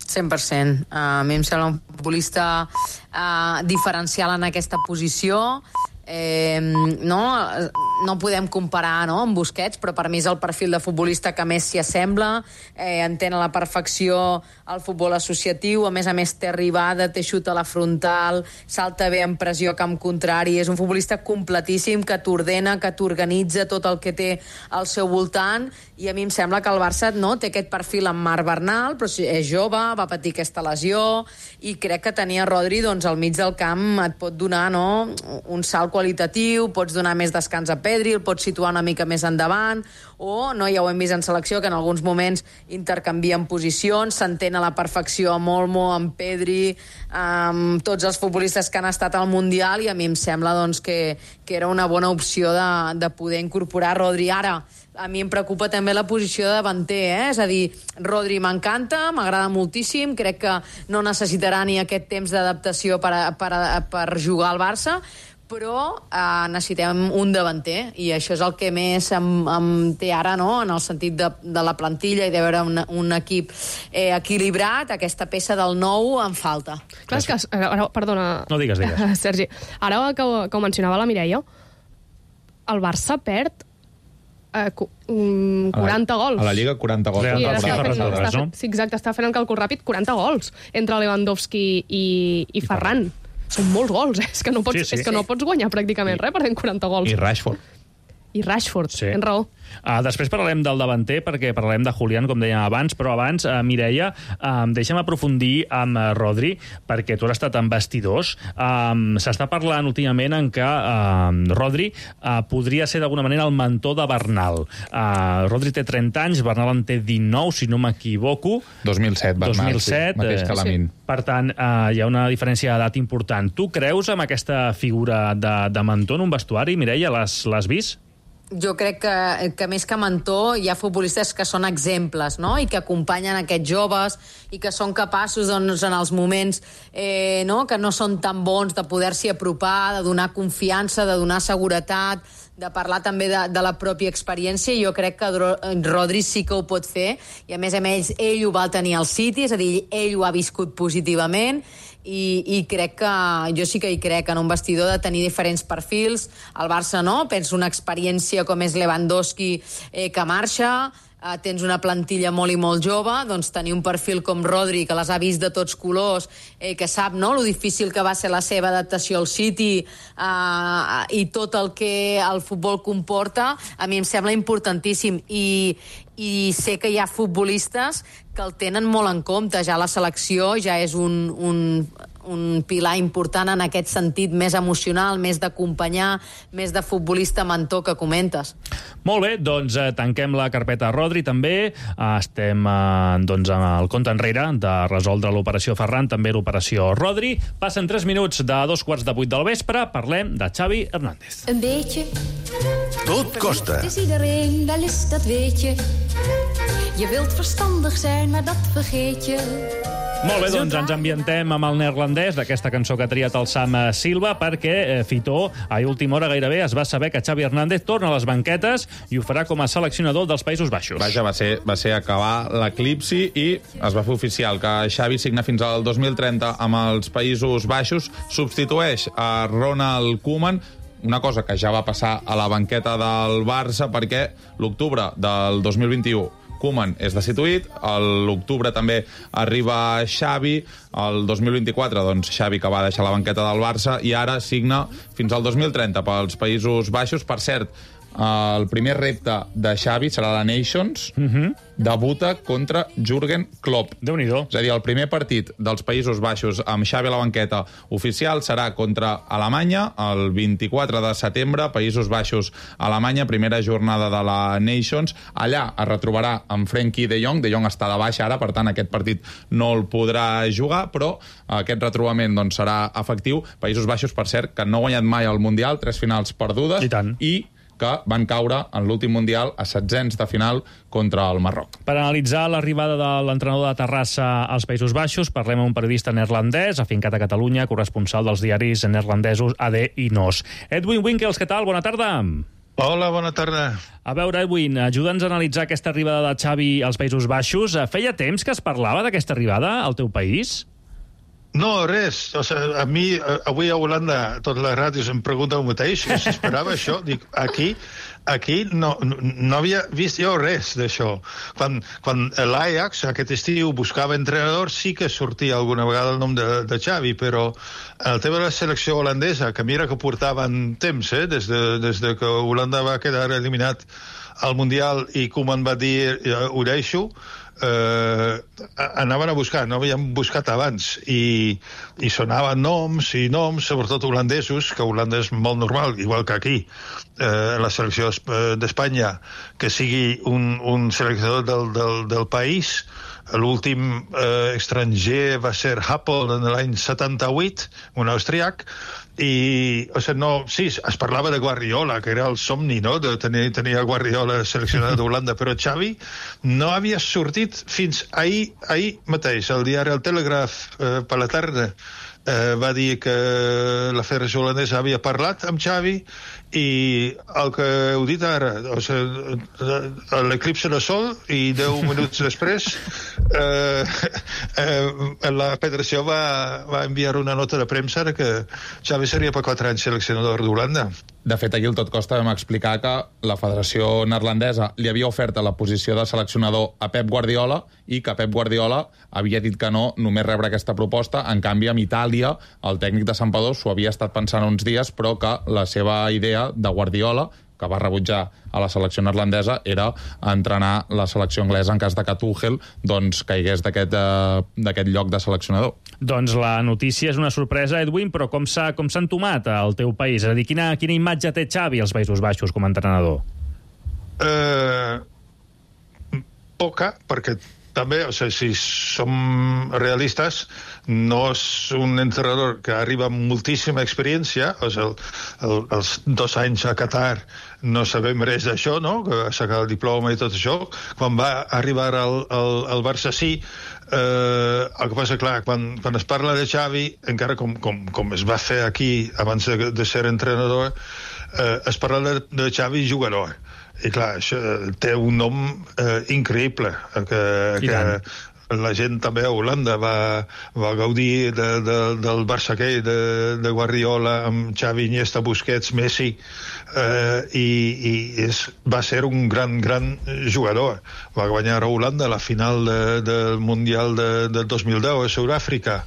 cent per cent. Uh, a mi em sembla un futbolista uh, diferencial en aquesta posició. Eh, no, no podem comparar, no, amb Busquets, però per mi és el perfil de futbolista que més s'hi assembla, eh, entén a la perfecció el futbol associatiu, a més a més té arribada, té xut a la frontal, salta bé en pressió a camp contrari, és un futbolista completíssim que t'ordena, que t'organitza tot el que té al seu voltant, i a mi em sembla que el Barça no té aquest perfil amb Marc Bernal, però és jove, va patir aquesta lesió, i crec que tenir a Rodri doncs, al mig del camp et pot donar, no, un salt qualitatiu, pots donar més descans a Pedri, el pots situar una mica més endavant, o, no, ja ho hem vist en selecció, que en alguns moments intercanvien posicions, s'entén a la perfecció amb Olmo, amb Pedri, amb tots els futbolistes que han estat al Mundial, i a mi em sembla doncs, que, que era una bona opció de, de poder incorporar Rodri. Ara, a mi em preocupa també la posició de davanter, eh? És a dir, Rodri m'encanta, m'agrada moltíssim, crec que no necessitarà ni aquest temps d'adaptació per, a, per, a, per jugar al Barça, però eh, necessitem un davanter, i això és el que més em, em té ara, no?, en el sentit de, de la plantilla i de veure un, un equip eh, equilibrat. Aquesta peça del nou em falta. Clar, és que, ara, perdona, no digues, digues. Sergi, ara que, que ho mencionava la Mireia, el Barça perd eh, quaranta gols. A la Lliga, quaranta gols. Sí, està fent, fent, està, està, sí, exacte, està fent el càlcul ràpid, quaranta gols entre Lewandowski i, i Ferran. Són molts gols, eh? És que no pots, sí, sí. És que no pots guanyar pràcticament res perdent quaranta gols. I Rashford. I Rashford, sí. Tens raó. Uh, després parlarem del davanter, perquè parlarem de Julián, com dèiem abans, però abans, uh, Mireia, uh, deixa'm aprofundir amb uh, Rodri, perquè tu has estat en vestidors. Um, S'està parlant últimament en que uh, Rodri uh, podria ser d'alguna manera el mentor de Bernal. Uh, Rodri té trenta anys, Bernal en té dinou, si no m'equivoco. dos mil set, Bernal, dos mil set, sí, mateix que Lamin. Sí. Per tant, uh, hi ha una diferència d'edat important. Tu creus en aquesta figura de, de mentor en un vestuari, Mireia? L'has vist? Jo crec que, que més que mentor hi ha futbolistes que són exemples, no?, i que acompanyen aquests joves i que són capaços, doncs, en els moments eh, no?, que no són tan bons, de poder-s'hi apropar, de donar confiança, de donar seguretat, de parlar també de, de la pròpia experiència, i jo crec que Rodri sí que ho pot fer, i a més a més ell ho va tenir al City, és a dir, ell ho ha viscut positivament, i, i crec que, jo sí que hi crec en un vestidor de tenir diferents perfils. El Barça no, penso una experiència com és Lewandowski eh, que marxa, eh, tens una plantilla molt i molt jove, doncs tenir un perfil com Rodri, que les ha vist de tots colors, eh, que sap, no?, lo difícil que va ser la seva adaptació al City, eh, i tot el que el futbol comporta, a mi em sembla importantíssim, i, i sé que hi ha futbolistes que el tenen molt en compte. Ja la selecció ja és un, un, un pilar important en aquest sentit més emocional, més d'acompanyar, més de futbolista mentor que comentes. Molt bé, doncs eh, tanquem la carpeta Rodri també. Eh, estem eh, doncs, en el compte enrere de resoldre l'operació Ferran, també l'operació Rodri. Passen tres minuts de dos quarts de vuit del vespre. Parlem de Xavi Hernández. Een beetje. Tot costa. Het is iedereen, wel is dat weet je. Je wilt verstandig zijn, maar dat vergeet je. Molt bé, doncs ens ambientem amb el neerlandès d'aquesta cançó que ha triat el Sam Silva, perquè eh, Fitó, a última hora gairebé, es va saber que Xavi Hernández torna a les banquetes i ho farà com a seleccionador dels Països Baixos. Vaja, va ser, va ser acabar l'eclipsi i es va fer oficial que Xavi signa fins al dos mil trenta amb els Països Baixos, substitueix a Ronald Koeman, una cosa que ja va passar a la banqueta del Barça, perquè l'octubre del dos mil vint-i-u Koeman és destituït, a l'octubre també arriba Xavi, el dos mil vint-i-quatre, doncs, Xavi que va deixar la banqueta del Barça i ara signa fins al dos mil trenta pels Països Baixos. Per cert, el primer repte de Xavi serà la Nations, uh-huh. debuta contra Jürgen Klopp. Déu-n'hi-do. És a dir, el primer partit dels Països Baixos amb Xavi a la banqueta oficial serà contra Alemanya el vint-i-quatre de setembre, Països Baixos, Alemanya, primera jornada de la Nations. Allà es retrobarà amb Frenkie de Jong. De Jong està de baixa ara, per tant, aquest partit no el podrà jugar, però aquest retrobament doncs, serà efectiu. Països Baixos, per cert, que no ha guanyat mai el Mundial, tres finals perdudes, I tant. i que van caure en l'últim Mundial a setzents de final contra el Marroc. Per analitzar l'arribada de l'entrenador de Terrassa als Països Baixos, parlem amb un periodista neerlandès, afincat a Catalunya, corresponsal dels diaris neerlandesos A D i N O S. Edwin Winkels, què tal? Bona tarda. Hola, bona tarda. A veure, Edwin, ajuda'ns a analitzar aquesta arribada de Xavi als Països Baixos. Feia temps que es parlava d'aquesta arribada al teu país? No, res. O sigui, a mi, avui a Holanda, totes les ràdios em pregunten el mateix, si s'esperava això. Dic, aquí, aquí no, no havia vist jo res d'això. Quan, quan l'Ajax, aquest estiu, buscava entrenador, sí que sortia alguna vegada el nom de, de Xavi, però el tema de la selecció holandesa, que mira que portaven temps, eh, des de, des de que Holanda va quedar eliminat al Mundial i Koeman va dir, ho deixo, Uh, anaven a buscar, no havien buscat abans, i, i sonaven noms i noms, sobretot holandesos, que Holanda és molt normal, igual que aquí, uh, la selecció d'Espanya, que sigui un, un seleccionador del, del, del país. L'últim eh, estranger va ser Happel en l'any setanta-vuit, un austríac, i, o sigui, no, sí, es parlava de Guardiola, que era el somni, no?, de tenir, tenir el Guardiola seleccionat d'Holanda, però Xavi no havia sortit fins ahir, ahir mateix. El diari El Telegraph, eh, per la tarda, eh, va dir que la Federació Holandesa havia parlat amb Xavi, i el que heu dit ara, o sigui, l'eclipse de sol, i deu minuts després eh, eh, la Federació va, va enviar una nota de premsa que Xavi seria per quatre anys seleccionador d'Holanda. De fet, aquí al Tot Costa vam explicar que la Federació Neerlandesa li havia ofert la posició de seleccionador a Pep Guardiola i que Pep Guardiola havia dit que no, només rebre aquesta proposta. En canvi, amb Itàlia, el tècnic de Santpedor s'ho havia estat pensant uns dies, però que la seva idea de Guardiola, que va rebutjar a la selecció neerlandesa, era entrenar la selecció anglesa en cas de que Tuchel doncs, caigués d'aquest eh, lloc de seleccionador. Doncs la notícia és una sorpresa, Edwin, però com s'ha com s'ha entomat al teu país? És a dir, quina, quina imatge té Xavi als Països Baixos com a entrenador? Eh, poca, perquè també, o sigui, si som realistes, no és un entrenador que arriba amb moltíssima experiència, o sigui, el, el, els dos anys a Qatar no sabem res d'això, no?, que va sacar el diploma i tot això. Quan va arribar al, al, al Barça sí, eh, el que passa, clar, quan, quan es parla de Xavi, encara com, com, com es va fer aquí abans de, de ser entrenador, eh, es parla de, de Xavi jugador. I clar, això té un nom eh, increïble, que, que la gent també a Holanda va, va gaudir de, de, del Barça aquell, de, de Guardiola, amb Xavi, Iniesta, Busquets, Messi, eh, i, i és, va ser un gran, gran jugador. Va guanyar a Holanda la final de, del Mundial de, de dos mil deu a Sud-àfrica.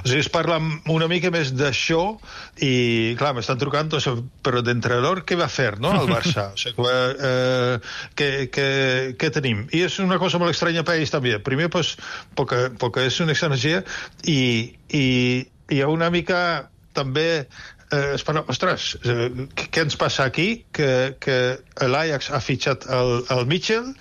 O sigui, es parla una mica més d'això, i clar, m'estan trucant, o sigui, però d'entrenador què va fer, no?, al Barça. O sigui, eh, què, què, què tenim? I és una cosa molt estranya al país també. Primer, pues, perquè, perquè és un estranger, i, i hi ha una mica també eh, es parla, ostres, eh, què ens passa aquí? Que, que l'Ajax ha fitxat el, el Mitchell,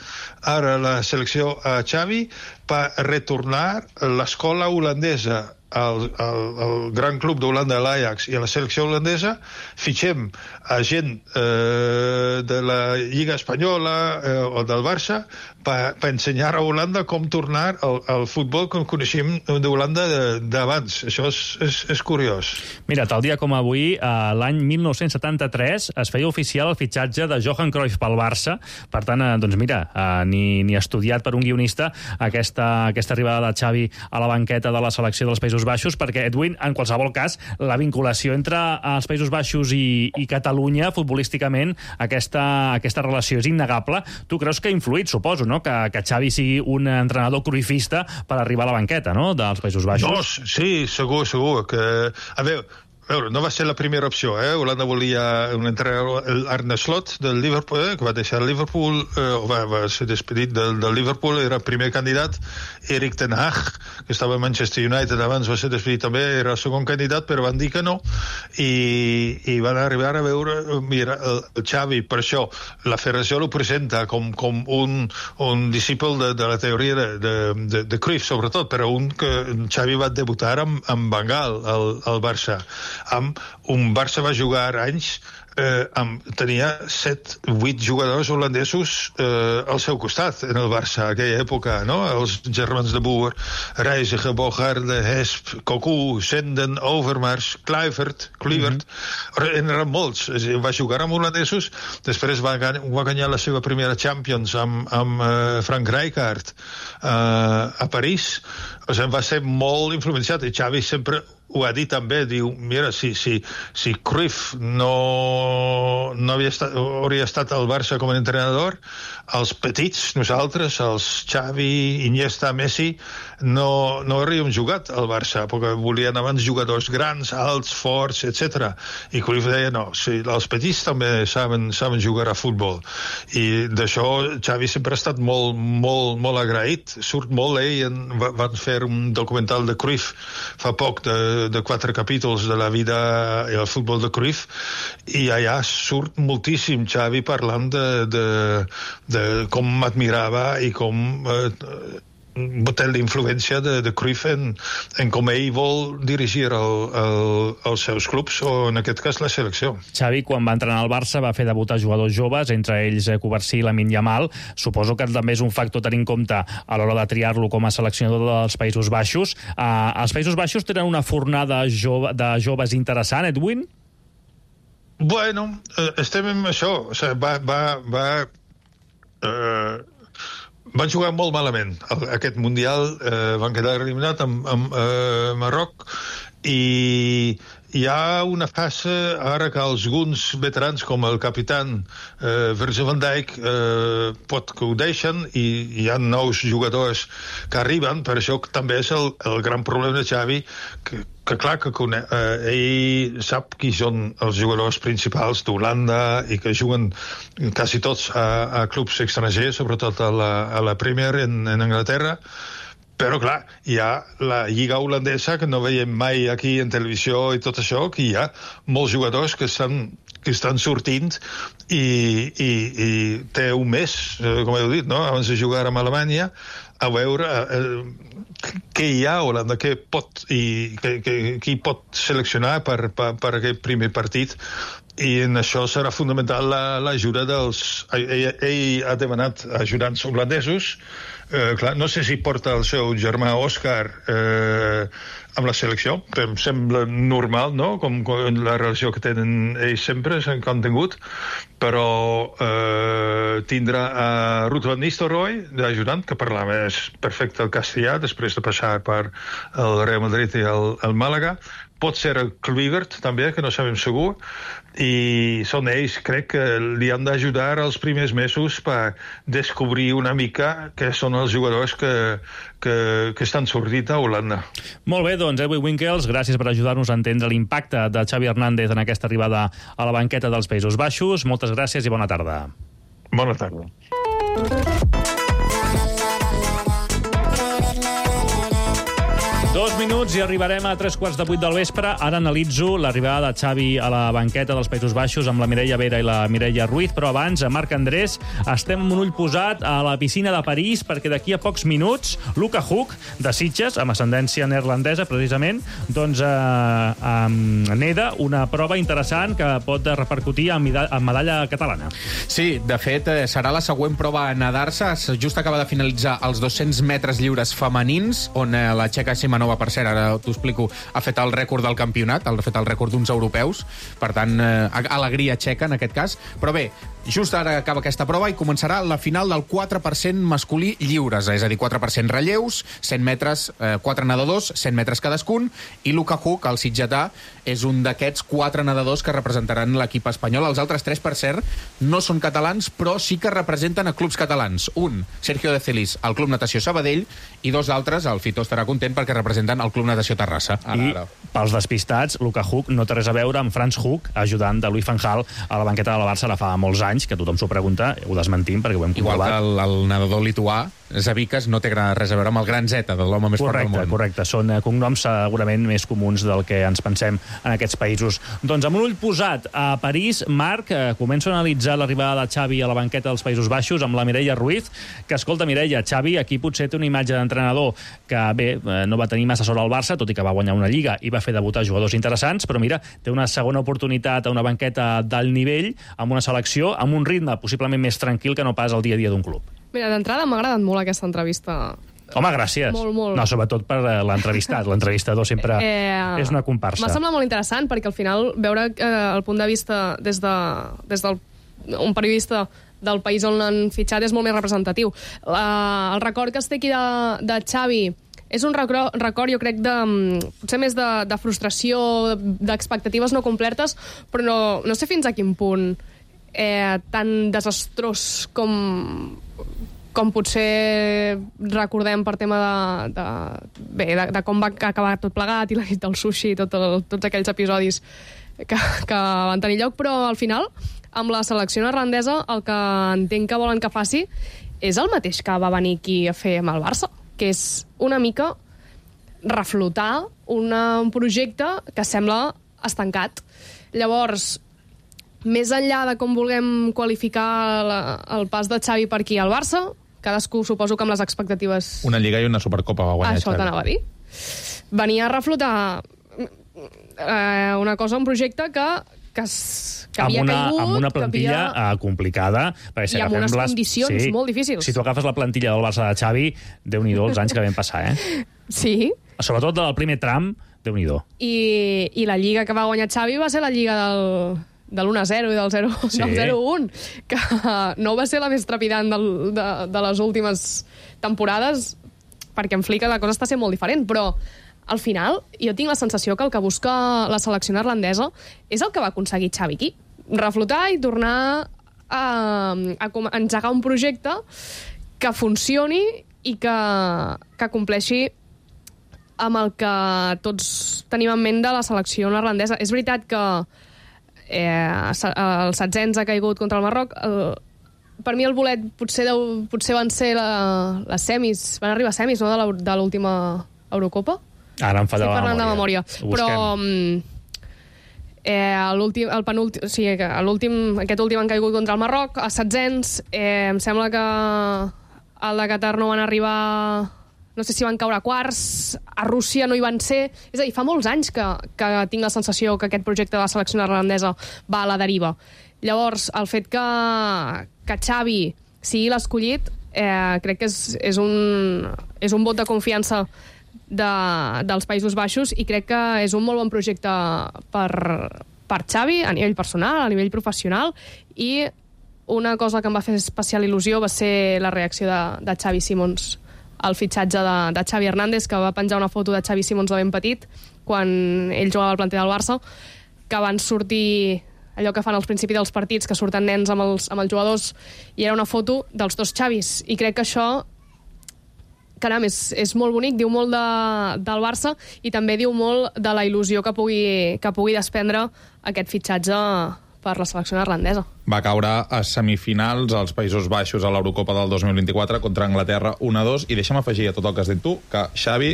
ara la selecció a Xavi, per retornar l'escola holandesa al, al, al gran club d'Holanda, l'Ajax, i a la selecció holandesa. Fitxem a gent eh, de la Lliga Espanyola eh, o del Barça per, per ensenyar a Holanda com tornar al, al futbol com coneixem d'Holanda d'abans. Això és, és, és curiós. Mira, tal dia com avui, eh, l'any mil nou-cents setanta-tres, es feia oficial el fitxatge de Johan Cruyff pel Barça. Per tant, eh, doncs mira, eh, ni, ni estudiat per un guionista aquesta, aquesta arribada de Xavi a la banqueta de la selecció dels Països Baixos, perquè, Edwin, en qualsevol cas, la vinculació entre els Països Baixos i, i Catalunya, futbolísticament, aquesta, aquesta relació és innegable. Tu creus que ha influït, suposo, no?, que, que Xavi sigui un entrenador cruifista per arribar a la banqueta, no?, dels Països Baixos? No, sí, segur, segur. Que, a veure, veure, no va ser la primera opció, eh? Holanda volia un entrenador, l'Arne Slot del Liverpool, eh? que va deixar el Liverpool, eh, va, va ser despedit del, del Liverpool, era el primer candidat. Erik ten Hag, que estava a Manchester United abans, va ser despedit també, era el segon candidat, però van dir que no, i, i van arribar a veure, mira, el, el Xavi, per això la federació lo presenta com, com un, un discípul de, de la teoria de, de, de, de Cruyff, sobretot, però un que Xavi va debutar amb, amb Bengal, al, al Barça. Amb un Barça va jugar anys, eh, amb, tenia set, vuit jugadors holandesos eh, al seu costat en el Barça, aquella època, no? Els germans de Boer, Reiziger, Bogarde, Hesp, Cocu, Senden, Overmars, Kluivert, Kluivert, mm-hmm. en eren molts. Va jugar amb holandesos, després va, va guanyar la seva primera Champions amb, amb uh, Frank Rijkaard uh, a París. O sigui, va ser molt influenciat, i Xavi sempre ho ha dit també, diu, mira, si, si, si Cruyff no, no havia estat, hauria estat al Barça com a entrenador, els petits, nosaltres, els Xavi, Iniesta, Messi, no, no hauríem jugat al Barça, perquè volien abans jugadors grans, alts, forts, etcètera. I Cruyff deia, no, si els petits també saben, saben jugar a futbol. I d'això Xavi sempre ha estat molt, molt, molt agraït. Surt molt, ell, en, van fer un documental de Cruyff fa poc, de de quatre capítols de la vida i el futbol de Cruyff, i allà surt moltíssim Xavi parlant de, de, de com m'admirava i com eh, té la influència de, de Cruyff en, en com ell vol dirigir el, el, els seus clubs, o en aquest cas la selecció. Xavi, quan va entrenar al Barça, va fer debutar jugadors joves, entre ells Covarsí i Lamine Yamal. Suposo que també és un factor a tenir en compte a l'hora de triar-lo com a seleccionador dels Països Baixos. Uh, els Països Baixos tenen una fornada jove, de joves interessant, Edwin? Bueno, eh, estem en això. O sigui, va... va, va eh, van jugar molt malament. Aquest Mundial eh, van quedar eliminat amb, amb eh, Marroc, i hi ha una fase ara que alguns veterans com el capitán eh, Virgil van Dijk eh, pot que ho deixen, i hi ha nous jugadors que arriben. Per això també és el, el gran problema de Xavi, que, que clar que cone, eh, ell sap qui són els jugadors principals d'Holanda i que juguen quasi tots a, a clubs estrangers, sobretot a la, a la Premier en, en Anglaterra. Però, clar, hi ha la lliga holandesa, que no veiem mai aquí en televisió i tot això, que hi ha molts jugadors que estan, que estan sortint, i, i, i té un mes, com heu dit, no? Abans de jugar amb Alemanya, a veure eh, què hi ha a Holanda, què pot, i que, que, qui pot seleccionar per, per, per aquest primer partit. I en això serà fundamental l'ajuda dels... Ell, ell ha demanat ajudants holandesos. Eh, clar, no sé si porta el seu germà Òscar eh, amb la selecció, que em sembla normal, no?, com, com la relació que tenen ells sempre, s'han contingut, però eh, tindrà a Ruud van Nistelrooy d'ajudant, que parlava perfecte el castellà després de passar per el Real Madrid i el, el Màlaga. Pot ser el Kluivert, també, que no sabem segur, i són ells, crec, que li han d'ajudar els primers mesos per descobrir una mica què són els jugadors que, que, que estan sortint a Holanda. Molt bé, doncs, Edwin Winkels, gràcies per ajudar-nos a entendre l'impacte de Xavi Hernández en aquesta arribada a la banqueta dels Països Baixos. Moltes gràcies i bona tarda. Bona tarda. Dos minuts i arribarem a tres quarts de vuit del vespre. Ara analitzo l'arribada de Xavi a la banqueta dels Països Baixos amb la Mireia Vera i la Mireia Ruiz, però abans, a Marc Andrés, estem amb un ull posat a la piscina de París, perquè d'aquí a pocs minuts Luca Hug, de Sitges, amb ascendència neerlandesa, precisament, doncs eh, eh, neda una prova interessant que pot repercutir en, en medalla catalana. Sí, de fet, eh, serà la següent prova a nedar-se. Just acaba de finalitzar els dos-cents metres lliures femenins, on eh, la txeca Simanova, per cert, ara t'ho explico, ha fet el rècord del campionat, ha fet el rècord d'uns europeus, per tant, eh, alegria txeca en aquest cas. Però bé, Just ara acaba aquesta prova i començarà la final del quatre per cent masculí lliures, és a dir, quatre per cent relleus, cent metres, eh, quatre nedadors, cent metres cadascun, i Luka Huk, el sitgetà, és un d'aquests quatre nedadors que representaran l'equip espanyol. Els altres tres, per cert, no són catalans, però sí que representen a clubs catalans. Un, Sergio de Celis, al Club Natació Sabadell, i dos altres, el Fito estarà content perquè representen el Club Natació Terrassa. Ara, I, ara. pels despistats, Luka Huk no té res a veure amb Franz Huk, ajudant de Louis van Gaal a la banqueta de la Barça ara fa molts anys, que tothom s'ho pregunta, ho desmentim perquè ho hem Igual comprovat. que el, el nedador lituà, Zabikas, no té res a veure amb el gran Z, de l'home més fort del Correcte, món. correcte. Són eh, cognoms segurament més comuns del que ens pensem en aquests països. Doncs amb un ull posat a París, Marc, eh, començo a analitzar l'arribada de Xavi a la banqueta dels Països Baixos amb la Mireia Ruiz, que, escolta, Mireia, Xavi aquí potser té una imatge d'entrenador que, bé, eh, no va tenir massa sort al Barça, tot i que va guanyar una lliga i va fer debutar jugadors interessants, però mira, té una segona oportunitat a una banqueta d'alt nivell, amb una selecció, amb un ritme possiblement més tranquil que no pas el dia a dia d'un club. Mira, d'entrada m'ha agradat molt aquesta entrevista. Home, gràcies. Molt, molt. No, sobretot per eh, l'entrevistat. L'entrevistador sempre Eh, és una comparsa. M'ha semblat molt interessant perquè al final veure eh, el punt de vista des de des del un periodista del país on l'han fitxat és molt més representatiu. La, el record que es té aquí de, de Xavi és un record, record jo crec, de, potser més de, de frustració, d'expectatives no complertes, però no, no sé fins a quin punt eh, tan desastrós com, com potser recordem per tema de, de, bé, de, de com va acabar tot plegat i la nit del sushi i tot el, tots aquells episodis que, que van tenir lloc, però al final, amb la selecció neerlandesa, el que entenc que volen que faci és el mateix que va venir aquí a fer amb el Barça, que és una mica reflotar una, un projecte que sembla estancat. Llavors, més enllà de com vulguem qualificar la, el pas de Xavi per aquí al Barça, cadascú suposo que amb les expectatives... Una Lliga i una Supercopa va guanyar Això Xavi. t'anava a dir. Venia a reflotar eh, una cosa, un projecte que, que, es, que amb havia una, caigut... amb una que plantilla havia... uh, complicada. Perquè si I amb agafem unes les... condicions molt difícils. Si tu agafes la plantilla del Barça de Xavi, Déu-n'hi-do els anys que vam passar, eh? Sí. Sobretot del primer tram, Déu-n'hi-do. I, I la lliga que va guanyar Xavi va ser la lliga del, de l'u a zero i del zero a Sí. un, que no va ser la més trepidant del, de, de les últimes temporades, perquè en Flick la cosa està sent molt diferent, però al final jo tinc la sensació que el que busca la selecció neerlandesa és el que va aconseguir Xavi aquí. Reflotar i tornar a, a, a engegar un projecte que funcioni i que, que compleixi amb el que tots tenim en ment de la selecció neerlandesa. És veritat que eh, el setzens ha caigut contra el Marroc. El, per mi el bolet potser, deu, potser van ser la, les semis, van arribar a semis, no?, de l'última Eurocopa. Ara em falla Estic la parlant memòria. de memòria. Però eh, l'últim, el penúltim, o sigui, l'últim, aquest últim han caigut contra el Marroc, a setzens. Eh, em sembla que al de Qatar no van arribar... No sé si van caure a quarts, a Rússia no hi van ser... És a dir, fa molts anys que, que tinc la sensació que aquest projecte de la selecció neerlandesa va a la deriva. Llavors, el fet que, que Xavi sigui l'escollit, eh, crec que és, és, un, és un vot de confiança de, dels Països Baixos i crec que és un molt bon projecte per, per Xavi a nivell personal, a nivell professional, i una cosa que em va fer especial il·lusió va ser la reacció de, de Xavi Simons al fitxatge de, de Xavi Hernández, que va penjar una foto de Xavi Simons de ben petit quan ell jugava al planter del Barça, que van sortir allò que fan als principis dels partits, que surten nens amb els, amb els jugadors, i era una foto dels dos Xavis, i crec que això, caram, és, és molt bonic, diu molt de, del Barça i també diu molt de la il·lusió que pugui, que pugui desprendre aquest fitxatge per la selecció neerlandesa. Va caure a semifinals als Països Baixos a l'Eurocopa del dos mil vint-i-quatre contra Anglaterra un a dos, i deixa'm afegir a tot el que has dit tu que Xavi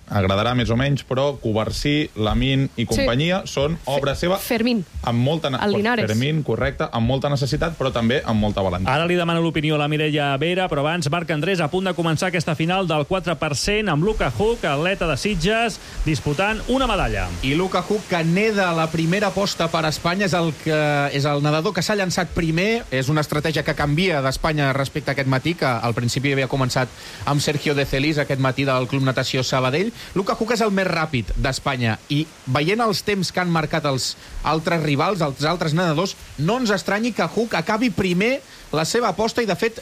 agradarà més o menys, però Covarsí, Lamin i companyia sí. són obra seva Fermín, amb molta, el Linares. Fermín, correcte, amb molta necessitat, però també amb molta valentia. Ara li demano l'opinió a la Mireia Vera, però abans Marc Andrés a punt de començar aquesta final del quatre per cent amb Luka Huk, atleta de Sitges, disputant una medalla. I Luka Huk, que neda la primera aposta per Espanya, és el, que, és el nedador que s'ha llançat començat primer, és una estratègia que canvia d'Espanya respecte a aquest matí, que al principi havia començat amb Sergio de Celis aquest matí del Club Natació Sabadell. Luka Huk és el més ràpid d'Espanya i veient els temps que han marcat els altres rivals, els altres nedadors, no ens estranyi que Huk acabi primer la seva aposta i, de fet,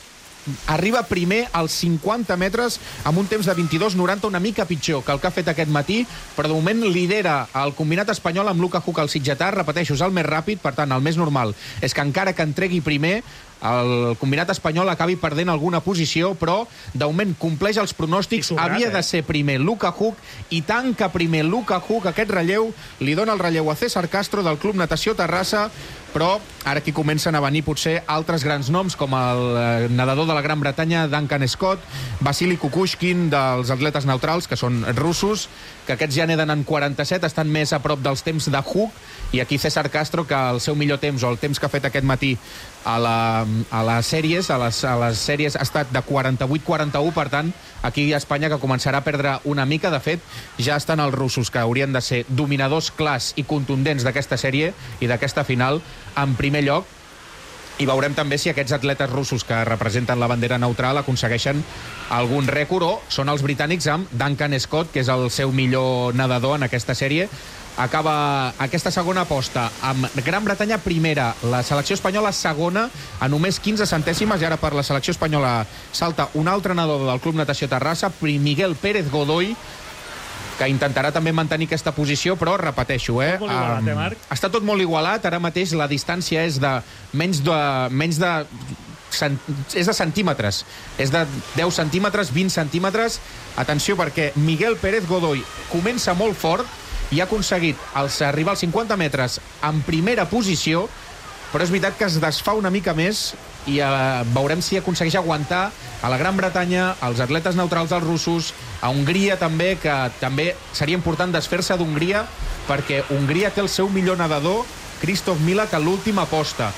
arriba primer als cinquanta metres amb un temps de vint-i-dos noranta, una mica pitjor que el que ha fet aquest matí, però de moment lidera el combinat espanyol amb Luka Huk al sitgetà. Repeteixo, és el més ràpid, per tant, el més normal és que encara que entregui primer, el combinat espanyol acabi perdent alguna posició, però de moment compleix els pronòstics. Sobrat, havia eh? de ser primer Luka Huk i tanca primer Luka Huk. Aquest relleu li dona el relleu a César Castro del Club Natació Terrassa, però ara aquí comencen a venir potser altres grans noms, com el nedador de la Gran Bretanya, Duncan Scott, Vasily Kukushkin, dels atletes neutrals, que són russos, que aquests ja neden en quaranta-set, estan més a prop dels temps de Huk, i aquí César Castro, que el seu millor temps, o el temps que ha fet aquest matí a, la, a les sèries, a les, a les sèries ha estat de quaranta-vuit quaranta-u, per tant, aquí a Espanya que començarà a perdre una mica. De fet, ja estan els russos, que haurien de ser dominadors clars i contundents d'aquesta sèrie i d'aquesta final, en primer lloc, i veurem també si aquests atletes russos que representen la bandera neutral aconsegueixen algun rècord, o són els britànics amb Duncan Scott, que és el seu millor nedador en aquesta sèrie. Acaba aquesta segona aposta amb Gran Bretanya primera, la selecció espanyola segona a només quinze centèsimes, i ara per la selecció espanyola salta un altre nedador del Club Natació Terrassa, Miguel Pérez Godoy, que intentarà també mantenir aquesta posició, però repeteixo, eh? Molt igualat, eh, Marc? Està tot molt igualat, ara mateix la distància és de menys de... Menys de cent, és de centímetres, és de deu centímetres, vint centímetres. Atenció, perquè Miguel Pérez Godoy comença molt fort i ha aconseguit els, arribar als cinquanta metres en primera posició, però és veritat que es desfà una mica més i eh, veurem si aconsegueix aguantar a la Gran Bretanya, als atletes neutrals dels russos, a Hongria també, que també seria important desfer-se d'Hongria, perquè Hongria té el seu millor nedador, Kristof Milak, a l'última aposta.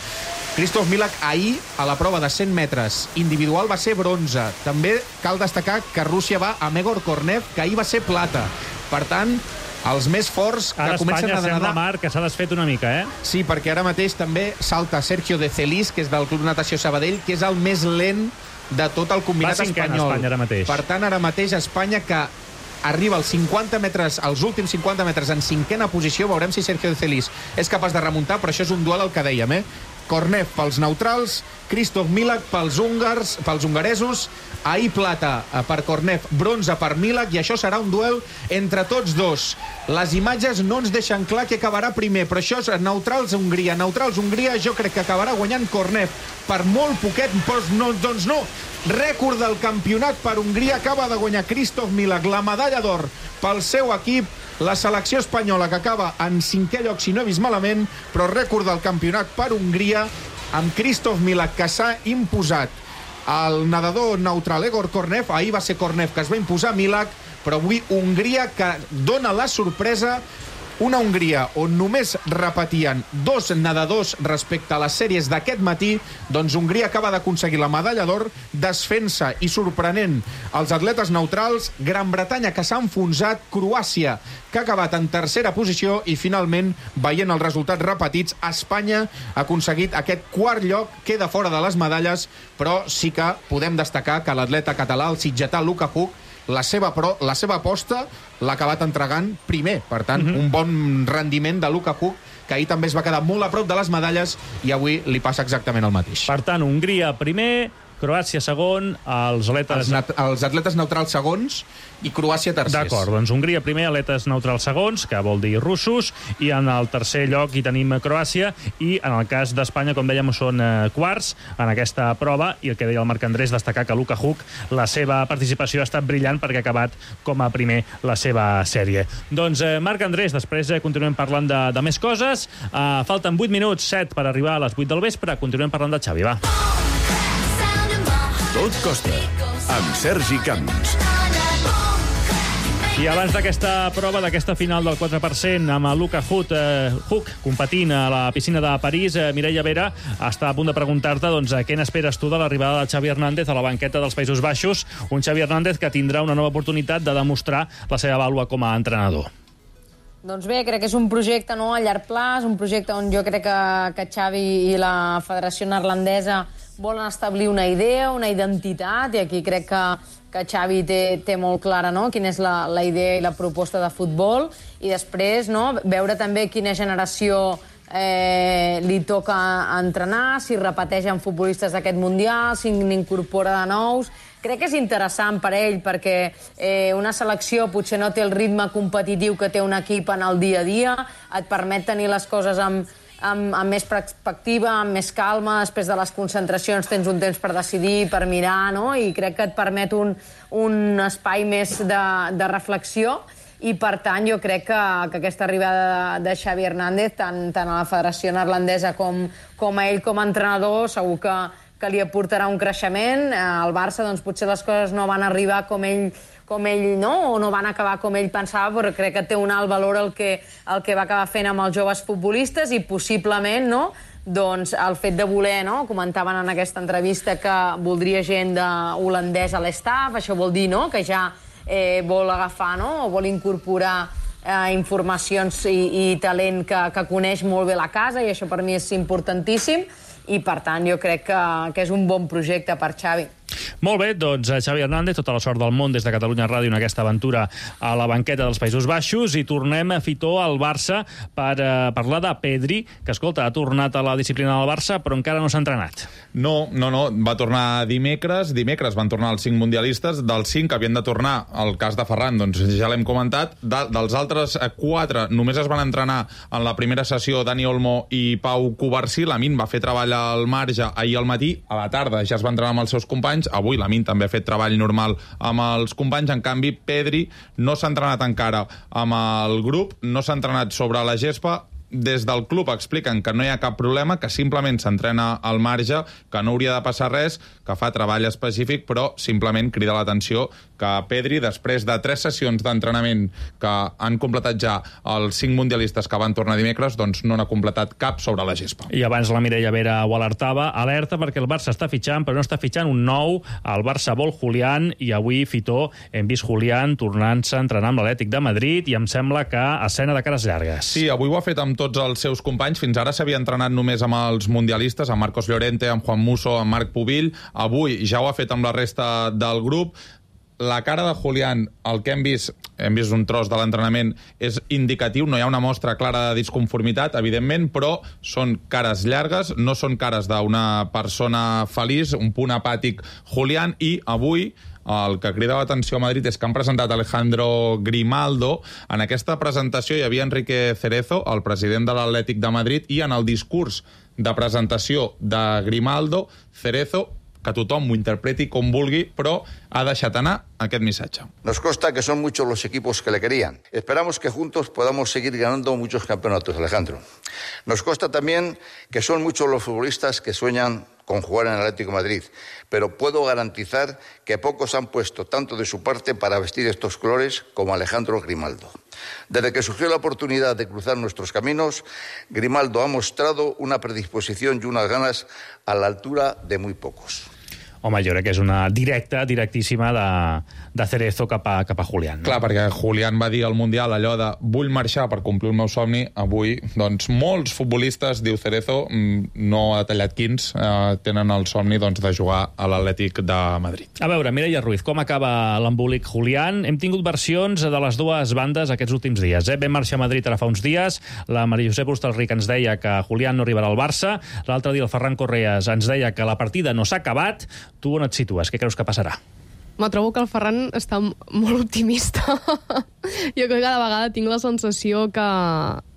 Kristof Milak ahir, a la prova de cent metres individual, va ser bronze. També cal destacar que Rússia va a Egor Kornev, que ahir va ser plata. Per tant, els més forts que ara comencen Espanya a nedar... sembla, Marc, que s'ha desfet una mica, eh? Sí, perquè ara mateix també salta Sergio de Celis, que és del Club Natació Sabadell, que és el més lent de tot el combinat espanyol. Espanya ara mateix. Per tant, ara mateix Espanya, que arriba als cinquanta metres, als últims cinquanta metres en cinquena posició, veurem si Sergio de Celis és capaç de remuntar, però això és un duel, el que dèiem, eh? Kornev pels neutrals, Kristof Milak pels húngars, pels hongaresos, ahir plata per Kornev, bronze per Milak, i això serà un duel entre tots dos. Les imatges no ens deixen clar qui acabarà primer, però això és neutrals-Hongria. Neutrals-Hongria, jo crec que acabarà guanyant Kornev per molt poquet, però no, doncs no. Rècord del campionat per Hongria, acaba de guanyar Kristof Milak, la medalla d'or pel seu equip. La selecció espanyola, que acaba en cinquè lloc, si no he vist malament, però rècord del campionat per Hongria, amb Kristof Milak, que s'ha imposat el nedador neutral Egor Kornev. Ahir va ser Kornev que es va imposar Milak, però avui Hongria, que dona la sorpresa. Una Hongria on només repetien dos nedadors respecte a les sèries d'aquest matí, doncs Hongria acaba d'aconseguir la medalla d'or, desfent-se i sorprenent els atletes neutrals. Gran Bretanya, que s'ha enfonsat, Croàcia, que ha acabat en tercera posició, i finalment, veient els resultats repetits, Espanya ha aconseguit aquest quart lloc, queda fora de les medalles, però sí que podem destacar que l'atleta català, el sitgetà Luka Huk, la seva, pro, la seva aposta l'ha acabat entregant primer. Per tant, mm-hmm. un bon rendiment de Luka Huk, que ahir també es va quedar molt a prop de les medalles, i avui li passa exactament el mateix. Per tant, Hongria primer, Croàcia segon, els atletes... Els, els atletes neutrals segons i Croàcia tercers. D'acord, doncs Hongria primer, atletes neutrals segons, que vol dir russos, i en el tercer lloc hi tenim Croàcia, i en el cas d'Espanya, com dèiem, són eh, quarts en aquesta prova, i el que deia el Marc Andrés, destacar que Luka Huk, la seva participació ha estat brillant perquè ha acabat com a primer la seva sèrie. Doncs, eh, Marc Andrés, després eh, continuem parlant de, de més coses. Eh, falten vuit minuts, set per arribar a les vuit del vespre. Continuem parlant de Xavi, va. Tot costa, amb Sergi Camps. I abans d'aquesta prova, d'aquesta final del quatre per cent, amb el Luka Huk, eh, Huk competint a la piscina de París, eh, Mireia Vera està a punt de preguntar-te doncs, què n'esperes tu de l'arribada de Xavi Hernández a la banqueta dels Països Baixos, un Xavi Hernández que tindrà una nova oportunitat de demostrar la seva vàlua com a entrenador. Doncs bé, crec que és un projecte no, a llarg plaç, un projecte on jo crec que, que Xavi i la Federació Neerlandesa volen establir una idea, una identitat, i aquí crec que, que Xavi té, té molt clara no, quina és la, la idea i la proposta de futbol, i després no, veure també quina generació eh, li toca entrenar, si repeteix amb futbolistes d'aquest Mundial, si n'incorpora de nous. Crec que és interessant per ell perquè eh, una selecció potser no té el ritme competitiu que té un equip en el dia a dia, et permet tenir les coses amb, amb, amb més perspectiva, amb més calma, després de les concentracions tens un temps per decidir, per mirar, no? I crec que et permet un, un espai més de, de reflexió, i per tant jo crec que, que aquesta arribada de, de Xavi Hernández, tant, tant a la Federació Neerlandesa com, com a ell com a entrenador, segur que que li aportarà un creixement. Al Barça doncs, potser les coses no van arribar com ell, com ell no, o no van acabar com ell pensava, però crec que té un alt valor el que, el que va acabar fent amb els joves futbolistes, i possiblement no, doncs, el fet de voler, no, comentaven en aquesta entrevista que voldria gent de holandès a l'estaf, això vol dir no, que ja eh, vol agafar no, o vol incorporar eh, informacions i, i talent que, que coneix molt bé la casa, i això per mi és importantíssim. I, per tant, jo crec que, que és un bon projecte per Xavi. Molt bé, doncs Xavi Hernández, tota la sort del món des de Catalunya Ràdio en aquesta aventura a la banqueta dels Països Baixos, i tornem a Fitó al Barça per eh, parlar de Pedri, que, escolta, ha tornat a la disciplina del Barça, però encara no s'ha entrenat. No, no, no, va tornar dimecres, dimecres van tornar els cinc mundialistes, dels cinc que havien de tornar, el cas de Ferran, doncs ja l'hem comentat, de, dels altres quatre només es van entrenar en la primera sessió Dani Olmo i Pau Covarsí, Lamin va fer treball al marge ahir al matí, a la tarda ja es va entrenar amb els seus companys, avui Lamin també ha fet treball normal amb els companys, en canvi Pedri no s'ha entrenat encara amb el grup, no s'ha entrenat sobre la gespa. Des del club expliquen que no hi ha cap problema, que simplement s'entrena al marge, que no hauria de passar res, que fa treball específic, però simplement crida l'atenció que Pedri, després de tres sessions d'entrenament que han completat ja els cinc mundialistes que van tornar dimecres, doncs no n'ha completat cap sobre la gespa. I abans la Mireia Vera ho alertava, alerta perquè el Barça està fitxant, però no està fitxant un nou, el Barça vol Julián, i avui, Fitó, hem vist Julián tornant-se a entrenar amb l'Atlètic de Madrid, i em sembla que escena de cares llargues. Sí, avui ho ha fet amb tots els seus companys. Fins ara s'havia entrenat només amb els mundialistes, amb Marcos Llorente, amb Juan Musso, amb Marc Pubill. Avui ja ho ha fet amb la resta del grup. La cara de Julián, el que hem vist, hem vist un tros de l'entrenament, és indicatiu, no hi ha una mostra clara de disconformitat, evidentment, però són cares llargues, no són cares d'una persona feliç, un punt apàtic Julián, i avui el que crida l'atenció a Madrid és que han presentat Alejandro Grimaldo. En aquesta presentació hi havia Enrique Cerezo, el president de l'Atlètic de Madrid, i en el discurs de presentació de Grimaldo, Cerezo, que tothom ho interpreti com vulgui, però ha deixat anar aquest missatge. Nos consta que son muchos los equipos que le querían. Esperamos que juntos podamos seguir ganando muchos campeonatos, Alejandro. Nos consta también que son muchos los futbolistas que sueñan con jugar en el Atlético de Madrid, pero puedo garantizar que pocos han puesto tanto de su parte para vestir estos colores como Alejandro Grimaldo. Desde que surgió la oportunidad de cruzar nuestros caminos, Grimaldo ha mostrado una predisposición y unas ganas a la altura de muy pocos. Home, jo crec que és una directa, directíssima de, de Cerezo cap a, cap a Julián. No? Clar, perquè Julián va dir al Mundial allò de vull marxar per complir el meu somni. Avui, doncs, molts futbolistes, diu Cerezo, no ha tallat quins, eh, tenen el somni doncs, de jugar a l'Atlètic de Madrid. A veure, Mireia Ruiz, com acaba l'embolic Julián? Hem tingut versions de les dues bandes aquests últims dies. Eh? Vam marxar a Madrid ara fa uns dies, la Maria Josep Hostalric ens deia que Julián no arribarà al Barça, l'altre dia el Ferran Correas ens deia que la partida no s'ha acabat. Tu on et situes? Què creus que passarà? Me trobo que el Ferran està molt optimista. Jo crec que cada vegada tinc la sensació que,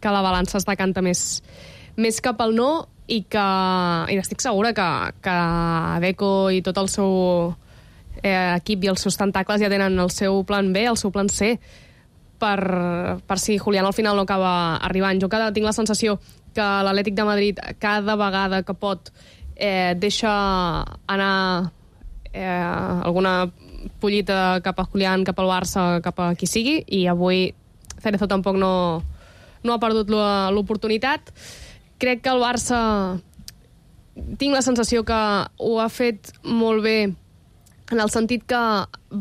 que la balança es decanta més, més cap al no, i que i estic segura que, que Deco i tot el seu eh, equip i els seus tentacles ja tenen el seu plan B, el seu plan C, per, per si Julián al final no acaba arribant. Jo cada tinc la sensació que l'Atlètic de Madrid cada vegada que pot eh, deixa anar eh, alguna pollita cap a Julián, cap al Barça, cap a qui sigui, i avui Cerezo tampoc no, no ha perdut l'oportunitat. Crec que el Barça tinc la sensació que ho ha fet molt bé en el sentit que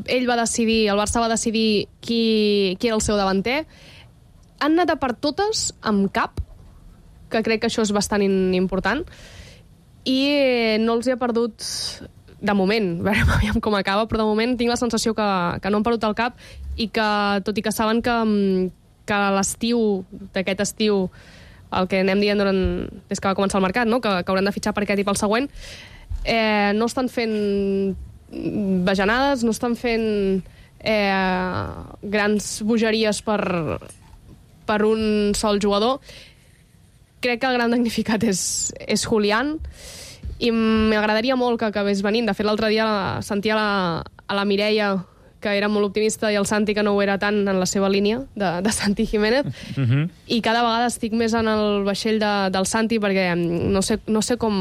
ell va decidir, el Barça va decidir qui, qui era el seu davanter. han anat a per totes amb cap, que crec que això és bastant important, i no els hi ha perdut de moment, veurem com acaba, però de moment tinc la sensació que, que no han perdut el cap i que, tot i que saben que, que l'estiu, d'aquest estiu, el que anem dient durant, des que va començar el mercat, no? que, que hauran de fitxar per aquest i pel següent, eh, no estan fent bajanades, no estan fent eh, grans bogeries per, per un sol jugador. Crec que el gran damnificat és, és Julián, i m'agradaria molt que acabés venint. De fet, l'altre dia sentia la, a la Mireia, que era molt optimista, i el Santi, que no ho era tant, en la seva línia, de, de Santi Jiménez, uh-huh. i cada vegada estic més en el vaixell de, del Santi, perquè no sé, no sé com...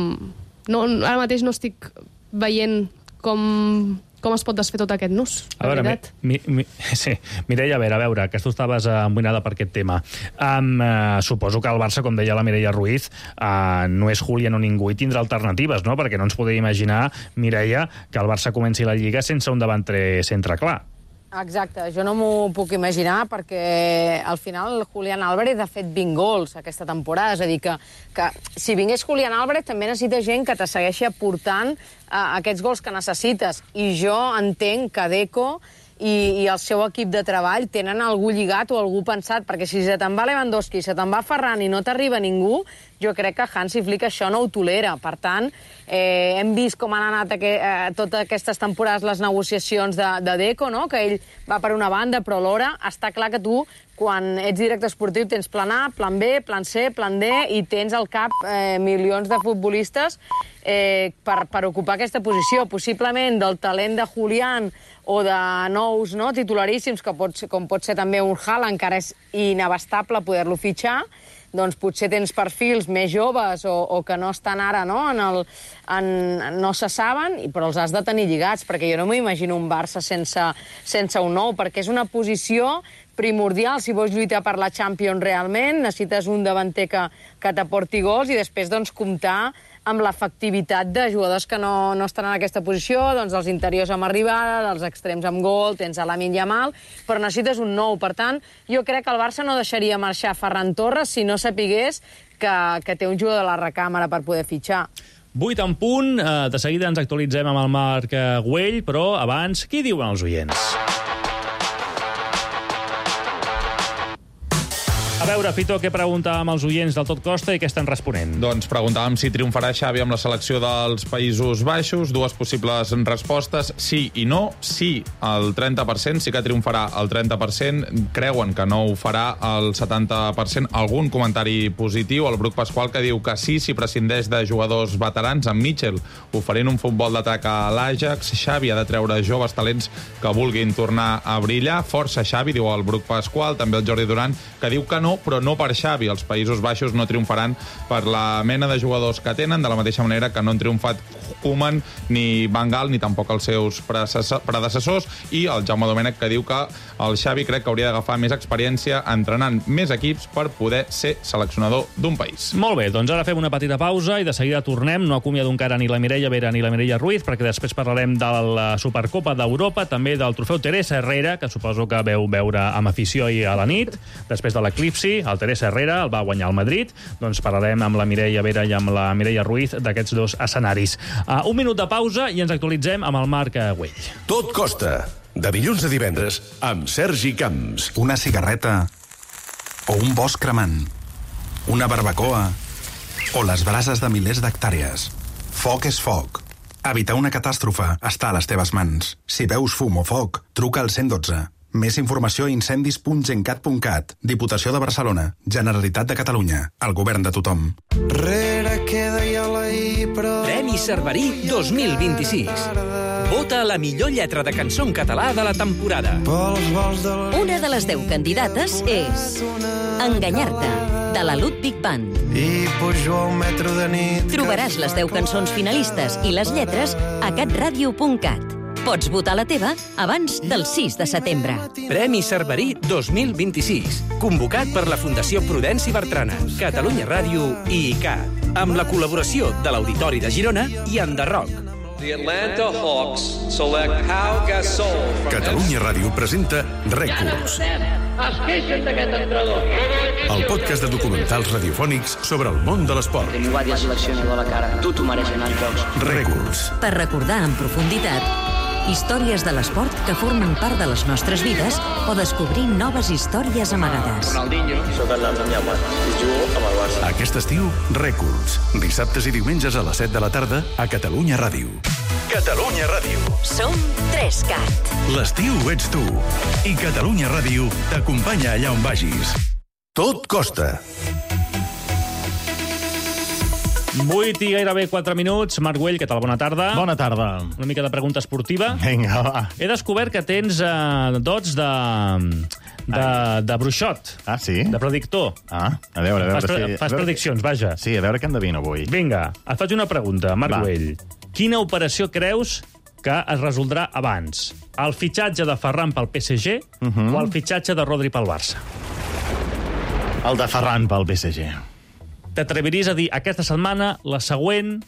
No, ara mateix no estic veient com... com es pot desfer tot aquest nus, a veure, mi, mi, sí. Mireia, a veure, a veure, que tu estaves emboinada per aquest tema. Um, uh, suposo que el Barça, com deia la Mireia Ruiz, uh, no és Julián o ningú i tindrà alternatives, no? Perquè no ens podem imaginar, Mireia, que el Barça comenci la Lliga sense un davanter centre clar. Exacte, jo no m'ho puc imaginar perquè al final Julián Álvarez ha fet vint gols aquesta temporada, és a dir, que, que si vingués Julián Álvarez també necessita gent que te segueixi aportant uh, aquests gols que necessites, i jo entenc que Deco i, i el seu equip de treball tenen algú lligat o algú pensat, perquè si se te'n va Lewandowski, se te'n va Ferran i no t'arriba ningú, jo crec que Hansi Flick això no ho tolera. Per tant, eh, hem vist com han anat aqu eh, totes aquestes temporades les negociacions de, de Deco, no? Que ell va per una banda, però alhora està clar que tu, quan ets director esportiu, tens plan A, plan B, plan C, plan D, i tens al cap eh, milions de futbolistes eh, per, per ocupar aquesta posició. Possiblement del talent de Julián o de nous, no, titularíssims, que pot ser, com pot ser també un Haaland, encara és inabastable poder-lo fitxar, doncs potser tens perfils més joves o, o que no estan ara, no, en el, en, no se saben, però els has de tenir lligats, perquè jo no m'imagino un Barça sense, sense un nou, perquè és una posició primordial. Si vols lluitar per la Champions realment, necessites un davanter que, que t'aporti gols i després doncs comptar amb l'efectivitat de jugadors que no, no estan en aquesta posició, doncs els interiors amb arribada, dels extrems amb gol, tens a Lamine Yamal, però necessites un nou. Per tant, jo crec que el Barça no deixaria marxar Ferran Torres si no sapigués que, que té un jugador de la recàmera per poder fitxar. Vuit en punt, de seguida ens actualitzem amb el Marc Güell, però abans, què diuen els oients? A veure, Fito, què preguntàvem als oients del Tot Costa i què estan responent? Doncs preguntàvem si triomfarà Xavi amb la selecció dels Països Baixos. Dues possibles respostes, sí i no. Sí, el trenta per cent, sí que triomfarà el trenta per cent. Creuen que no ho farà el setanta per cent. Algun comentari positiu. El Bruc Pasqual, que diu que sí, si prescindeix de jugadors veterans, amb Mitchell oferint un futbol d'atac a l'Ajax. Xavi ha de treure joves talents que vulguin tornar a brillar. Força Xavi, diu el Bruc Pasqual. També el Jordi Duran, que diu que no, però no per Xavi. Els Països Baixos no triomfaran per la mena de jugadors que tenen, de la mateixa manera que no han triomfat Koeman, ni Van Gaal, ni tampoc els seus predecessors, i el Jaume Domènech, que diu que el Xavi crec que hauria d'agafar més experiència entrenant més equips per poder ser seleccionador d'un país. Molt bé, doncs ara fem una petita pausa i de seguida tornem. No acomiado encara ni la Mireia Vera ni la Mireia Ruiz, perquè després parlarem de la Supercopa d'Europa, també del trofeu Teresa Herrera, que suposo que veu veure amb afició ahir a la nit, després de l'eclipsi. El Teresa Herrera el va guanyar al Madrid. Doncs parlarem amb la Mireia Vera i amb la Mireia Ruiz d'aquests dos escenaris. Uh, un minut de pausa i ens actualitzem amb el Marc Güell. Tot costa. De dilluns a divendres amb Sergi Camps. Una cigarreta o un bosc cremant. Una barbacoa o les brases de milers d'hectàrees. Foc és foc. Evitar una catàstrofe està a les teves mans. Si veus fum o foc, truca al cent i dotze. Més informació a incendis punt gencat punt cat. Diputació de Barcelona. Generalitat de Catalunya. El govern de tothom. Premi Cerverí dos mil vint-i-sis. Vota la millor lletra de cançó en català de la temporada. Una de les deu candidates és Enganyar-te, de la Ludwig Band. Trobaràs les deu cançons finalistes i les lletres a catradio punt cat. Pots votar la teva abans del sis de setembre. Premi Cerverí dos mil vint-i-sis. Convocat per la Fundació Prudenci Bertrana, Catalunya Ràdio i I C A, amb la col·laboració de l'Auditori de Girona i Enderroc. The Atlanta Hawks select Pau Gasol. Catalunya Ràdio presenta Rècords, Es queixen d'aquest entrenador. el podcast de documentals radiofònics sobre el món de l'esport. Que m'ho va dir el seleccionador a la cara. Tu t'ho mereixes anar als jocs. Rècords. Per recordar en profunditat històries de l'esport que formen part de les nostres vides o descobrir noves històries amagades. Ronaldinho. Soc el Damià Mat. Jugo amb el Barça. Aquest estiu, Rècords. Dissabtes i diumenges a les set de la tarda a Catalunya Ràdio. Catalunya Ràdio. Som Trescat. L'estiu ets tu. I Catalunya Ràdio t'acompanya allà on vagis. Tot costa. vuit i gairebé quatre minuts. Marc Güell, què tal? Bona tarda. Bona tarda. Una mica de pregunta esportiva. Vinga, va. He descobert que tens eh, dots de, de, de bruixot. Ah, sí? De predictor. Ah, a veure, a veure. Fas, pre si... fas a veure... prediccions, vaja. Sí, a veure què endevino avui. Vinga, et faig una pregunta, Marc Va. Güell. Quina operació creus que es resoldrà abans? El fitxatge de Ferran pel P S G Uh -huh. o el fitxatge de Rodri pel Barça? El de Ferran pel P S G. T'atreviries a dir aquesta setmana, la següent...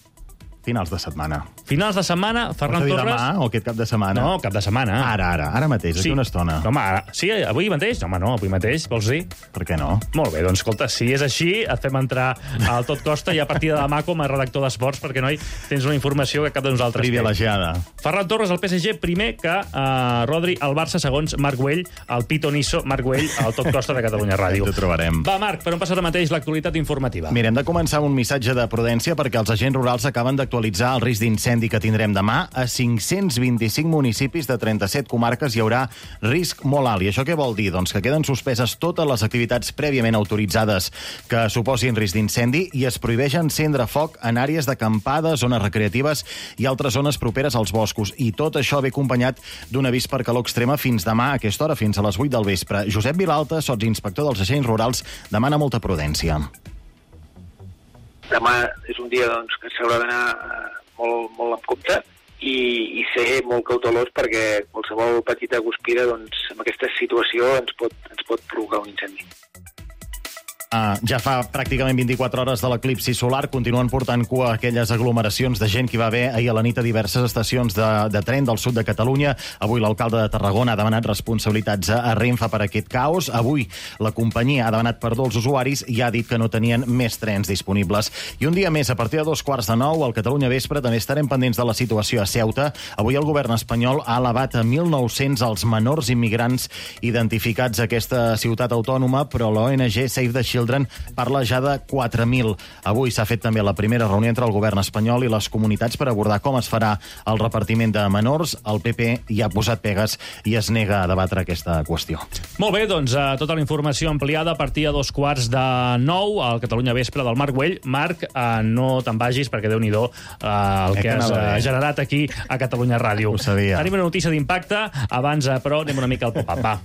Finals de setmana. Finals de setmana, Ferran Vols dir Torres... demà o aquest cap de setmana? No, cap de setmana. Ara, ara, ara mateix, d'aquí Sí. una estona. Home, ara... Sí, avui mateix? No, home, no, avui mateix, vols dir? Per què no? Molt bé, doncs escolta, si és així, et fem entrar al Tot Costa i a partir de demà com a redactor d'esports, perquè, noi, tens una informació que cap de nosaltres té. Privilegiada. Ferran Torres al P S G, primer que uh, Rodri al Barça, segons Marc Güell, el pitonisso Marc Güell, al Tot Costa de Catalunya Ràdio. T'ho trobarem. Va, Marc, per on passa ara mateix l'actualitat informativa? Mira, hem de començar amb un missatge de prudència perquè els agents rurals acaben d'actualitzar el risc d'incendi que tindrem demà. A cinc-cents vint-i-cinc municipis de trenta-set comarques hi haurà risc molt alt. I això què vol dir? Doncs que queden suspeses totes les activitats prèviament autoritzades que suposin risc d'incendi i es prohibeix encendre foc en àrees d'acampada, zones recreatives i altres zones properes als boscos. I tot això ve acompanyat d'un avís per calor extrema fins demà a aquesta hora, fins a les vuit del vespre. Josep Vilalta, sotsinspector dels agents rurals, demana molta prudència. Demà és un dia doncs, que s'haurà d'anar molt, molt amb compte i, i ser molt cautelós perquè qualsevol petita guspira doncs, en aquesta situació ens pot, ens pot provocar un incendi. Uh, ja fa pràcticament vint-i-quatre hores de l'eclipsi solar, continuen portant cua aquelles aglomeracions de gent que hi va haver ahir a la nit a diverses estacions de, de tren del sud de Catalunya. Avui l'alcalde de Tarragona ha demanat responsabilitats a, a Renfe per aquest caos. Avui la companyia ha demanat perdó als usuaris i ha dit que no tenien més trens disponibles. I un dia més, a partir de dos quarts de nou, al Catalunya Vespre, també estarem pendents de la situació a Ceuta. Avui el govern espanyol ha elevat a mil nou-cents els menors immigrants identificats a aquesta ciutat autònoma, però l'O N G Save the Children parla ja de quatre mil. Avui s'ha fet també la primera reunió entre el govern espanyol i les comunitats per abordar com es farà el repartiment de menors. El P P hi ha posat pegues i es nega a debatre aquesta qüestió. Molt bé, doncs uh, tota la informació ampliada a partir de dos quarts de nou al Catalunya Vespre del Marc Güell. Marc, uh, no te'n vagis perquè Déu-n'hi-do uh, el Eh, que que has anava uh, bé. generat aquí a Catalunya Ràdio. Ho sabia. Tenim una notícia d'impacte. Abans, uh, però, anem una mica al pop-up. Va.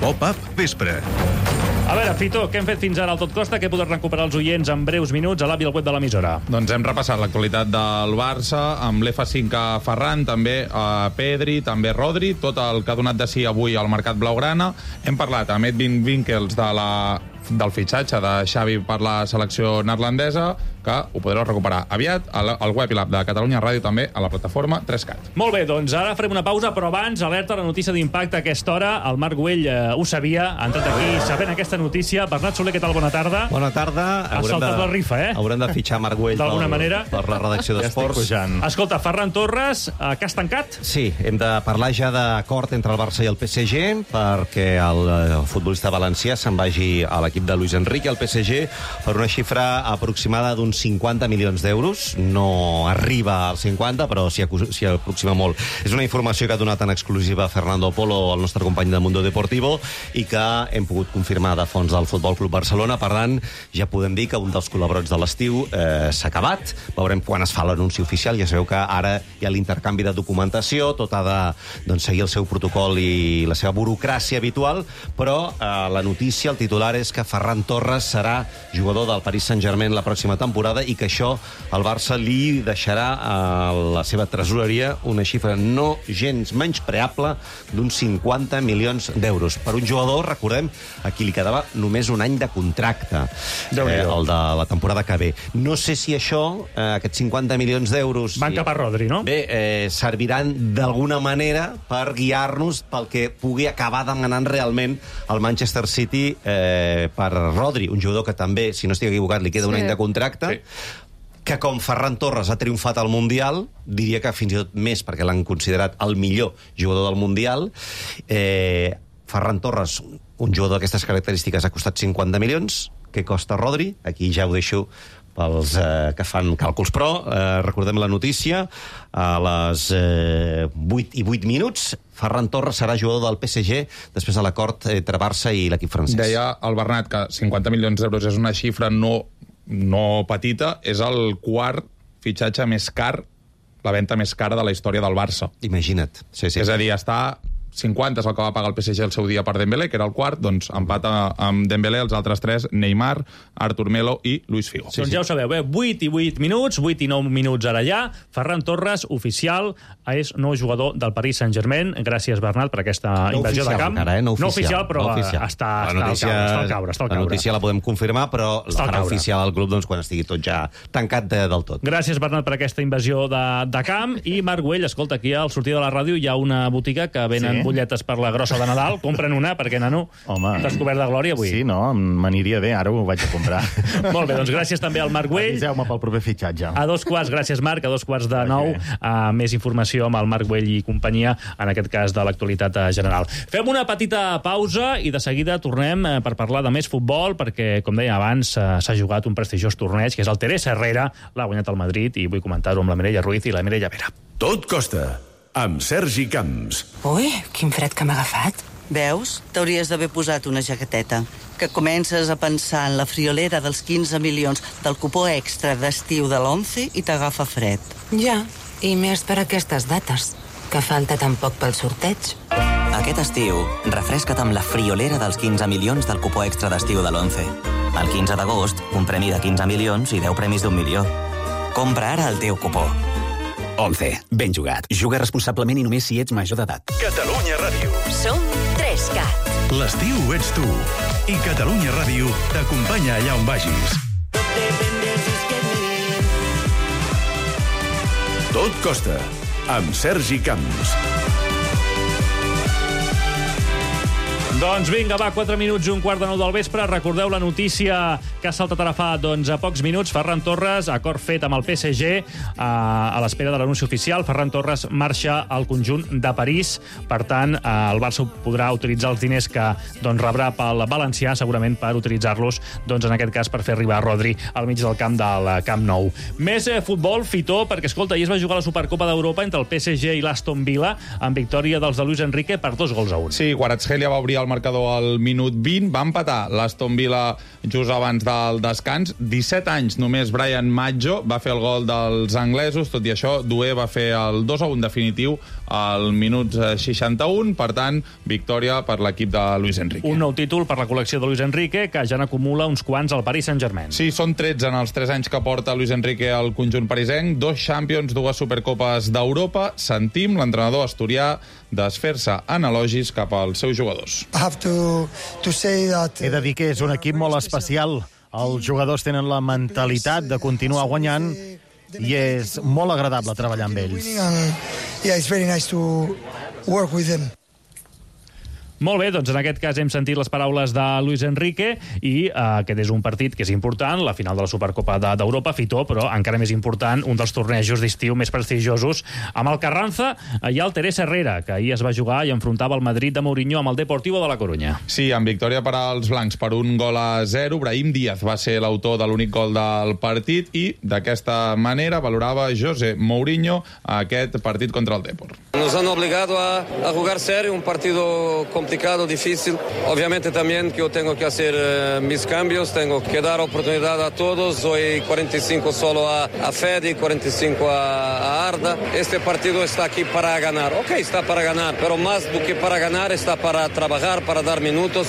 Pop-up vespre. A veure, Fito, què hem fet fins ara al Tot Costa? Què podem recuperar els oients en breus minuts a l'avi al web de l'emissora? Doncs hem repassat l'actualitat del Barça, amb l'F cinc a Ferran, també a Pedri, també Rodri, tot el que ha donat de si avui al mercat blaugrana. Hem parlat amb Edwin Winkels de la, del fitxatge de Xavi per la selecció neerlandesa, que ho podreu recuperar aviat al, al web i l'app de Catalunya Ràdio, també a la plataforma Trescat. Molt bé, doncs ara farem una pausa, però abans, alerta, la notícia d'impacte a aquesta hora. El Marc Güell eh, ho sabia, ha entrat aquí sabent aquesta notícia. Bernat Soler, què tal? Bona tarda. Bona tarda. Has saltat la rifa, eh? Haurem de fitxar Marc Güell d'alguna per, manera. per la redacció d'Esports. Escolta, Ferran Torres, eh, que has tancat? Sí, hem de parlar ja d'acord entre el Barça i el P S G perquè el eh, futbolista valencià se'n vagi a l'equip de Luis Enrique, al P S G, per una xifra aproximada d'uns cinquanta milions d'euros. No arriba als cinquanta, però s'hi s'hi aproxima molt. És una informació que ha donat en exclusiva Fernando Polo, el nostre company de Mundo Deportivo, i que hem pogut confirmar de fons del Futbol Club Barcelona. Per tant, ja podem dir que un dels col·laborats de l'estiu eh, s'ha acabat. Veurem quan es fa l'anunci oficial. Ja sabeu que ara hi ha l'intercanvi de documentació, tot ha de doncs, seguir el seu protocol i la seva burocràcia habitual, però eh, la notícia, el titular, és que Ferran Torres serà jugador del Paris Saint-Germain la pròxima temporada i que això el Barça li deixarà a la seva tresoreria una xifra no gens menyspreable d'uns cinquanta milions d'euros. Per un jugador, recordem, a qui li quedava només un any de contracte, eh, el de la temporada que ve. No sé si això, eh, aquests cinquanta milions d'euros... Van cap a Rodri, no? Bé, eh, serviran d'alguna manera per guiar-nos pel que pugui acabar demanant realment el Manchester City eh, per Rodri, un jugador que també, si no estic equivocat, li queda un Sí. any de contracte, sí. que com Ferran Torres ha triomfat al Mundial, diria que fins i tot més, perquè l'han considerat el millor jugador del Mundial, eh, Ferran Torres, un jugador d'aquestes característiques, ha costat cinquanta milions. Què costa Rodri? Aquí ja ho deixo pels eh, que fan càlculs. Però eh, recordem la notícia, a les eh, vuit i vuit minuts, Ferran Torres serà jugador del P S G després de l'acord entre Barça i l'equip francès. Deia el Bernat que cinquanta milions d'euros és una xifra no, no petita, és el quart fitxatge més car, la venda més cara de la història del Barça. Imagina't. Sí, sí. És a dir, està... cinquanta és el que va pagar el P S G el seu dia per Dembélé, que era el quart, doncs empata amb Dembélé els altres tres, Neymar, Artur Melo i Luis Figo. Sí, doncs ja ho sabeu, eh? vuit i vuit minuts, vuit i nou minuts ara ja. Ferran Torres, oficial, és nou jugador del Paris Saint-Germain. Gràcies, Bernat, per aquesta no invasió oficial, de camp. encara, eh? No oficial, no oficial, però no oficial. Està, La notícia, està, al caure, està al caure. Està al la caure. notícia la podem confirmar, però la farà oficial al club doncs, quan estigui tot ja tancat de, del tot. Gràcies, Bernat, per aquesta invasió de, de camp. I Marc Güell, escolta, aquí al sortir de la ràdio hi ha una botiga que venen Sí? butlletes per la grossa de Nadal. Compren una, perquè, nano, t'has cobert de glòria avui. Sí, no? M'aniria bé, ara ho vaig a comprar. Molt bé, doncs gràcies també al Marc Güell. Aviseu-me pel proper fitxatge. A dos quarts, gràcies Marc, a dos quarts de nou, uh, més informació amb el Marc Güell i companyia, en aquest cas de l'actualitat general. Fem una petita pausa i de seguida tornem uh, per parlar de més futbol, perquè, com deia abans, uh, s'ha jugat un prestigiós torneig, que és el Teresa Herrera, l'ha guanyat el Madrid, i vull comentar-ho amb la Mireia Ruiz i la Mireia Vera. Tot costa, amb Sergi Camps. Ui, quin fred que m'ha agafat. Veus? T'hauries d'haver posat una jaqueteta. Que comences a pensar en la friolera dels quinze milions del cupó extra d'estiu de l'Once i t'agafa fred. Ja, i més per aquestes dates, que falta tan poc pel sorteig. Aquest estiu, refresca't amb la friolera dels quinze milions del cupó extra d'estiu de l'Once. El quinze d'agost, un premi de quinze milions i deu premis d'un milió. Compra ara el teu cupó. Once. Ben jugat. Juga responsablement i només si ets major d'edat. Catalunya Ràdio. Som tres cat. L'estiu ets tu. I Catalunya Ràdio t'acompanya allà on vagis. Tot costa, amb Sergi Camps. Doncs vinga, va, quatre minuts i un quart de nou del vespre. Recordeu la notícia que ha saltat ara fa doncs, a pocs minuts. Ferran Torres, acord fet amb el P S G, a, a l'espera de l'anunci oficial. Ferran Torres marxa al conjunt de París. Per tant, el Barça podrà utilitzar els diners que doncs, rebrà pel valencià, segurament per utilitzar-los, doncs, en aquest cas, per fer arribar Rodri al mig del camp del Camp Nou. Més eh, futbol, Fitó, perquè, escolta, ahir es va jugar la Supercopa d'Europa entre el P S G i l'Aston Villa, amb victòria dels de Luis Enrique per dos gols a un. Sí, Kvaratskhelia va obrir el marcador al minut vint, va empatar l'Aston Villa just abans del descans. disset anys només Brian Maggio va fer el gol dels anglesos, tot i això Doué va fer el dos a un definitiu al minut seixanta-un, per tant, victòria per l'equip de Luis Enrique. Un nou títol per la col·lecció de Luis Enrique, que ja n'acumula uns quants al Paris Saint-Germain. Sí, són tretze en els tres anys que porta Luis Enrique al conjunt parisenc, dos Champions, dues Supercopes d'Europa. Sentim l'entrenador asturià desfer-se en elogis cap als seus jugadors. He de dir que és un equip molt especial. Els jugadors tenen la mentalitat de continuar guanyant i és molt agradable treballar amb ells. Yeah, it's very nice to work with them. Molt bé, doncs en aquest cas hem sentit les paraules de Luis Enrique i eh, aquest és un partit que és important, la final de la Supercopa d'Europa, Fitó, però encara més important, un dels tornejos d'estiu més prestigiosos. Amb el Carranza hi ha el Teresa Herrera, que ahir es va jugar i enfrontava el Madrid de Mourinho amb el Deportivo de la Corunya. Sí, amb victòria per als blancs per un gol a zero. Brahim Díaz va ser l'autor de l'únic gol del partit i d'aquesta manera valorava José Mourinho aquest partit contra el Depor. Nos han obligado a, a jugar serio, un partido complicado, difícil. Obviamente también que yo tengo que hacer uh, mis cambios, tengo que dar oportunidad a todos. Hoy cuarenta y cinco solo a, a Fede, cuarenta y cinco a, a Arda. Este partido está aquí para ganar. Ok, está para ganar, pero más do que para ganar está para trabajar, para dar minutos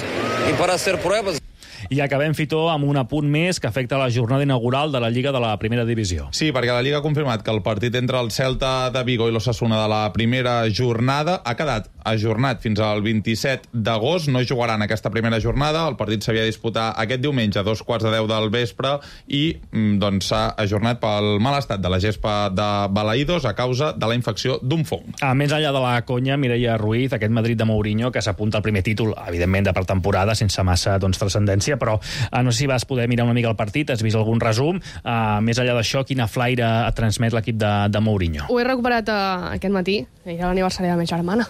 y para hacer pruebas. I acabem, Fitó, amb un apunt més que afecta la jornada inaugural de la Lliga de la Primera Divisió. Sí, perquè la Lliga ha confirmat que el partit entre el Celta de Vigo i l'Osasuna de la primera jornada ha quedat ajornat fins al vint-i-set d'agost. No jugaran aquesta primera jornada. El partit s'havia de disputar aquest diumenge a dos quarts de deu del vespre i doncs s'ha ajornat pel mal estat de la gespa de Balaïdos a causa de la infecció d'un fong. A més enllà de la conya, Mireia Ruiz, aquest Madrid de Mourinho, que s'apunta al primer títol, evidentment de pretemporada, sense massa doncs, transcendència, però eh, no sé si vas poder mirar una mica el partit, has vist algun resum. Eh, més enllà d'això, quina flaire et transmet l'equip de, de Mourinho? Ho he recuperat uh, aquest matí, era l'aniversari de la meva germana.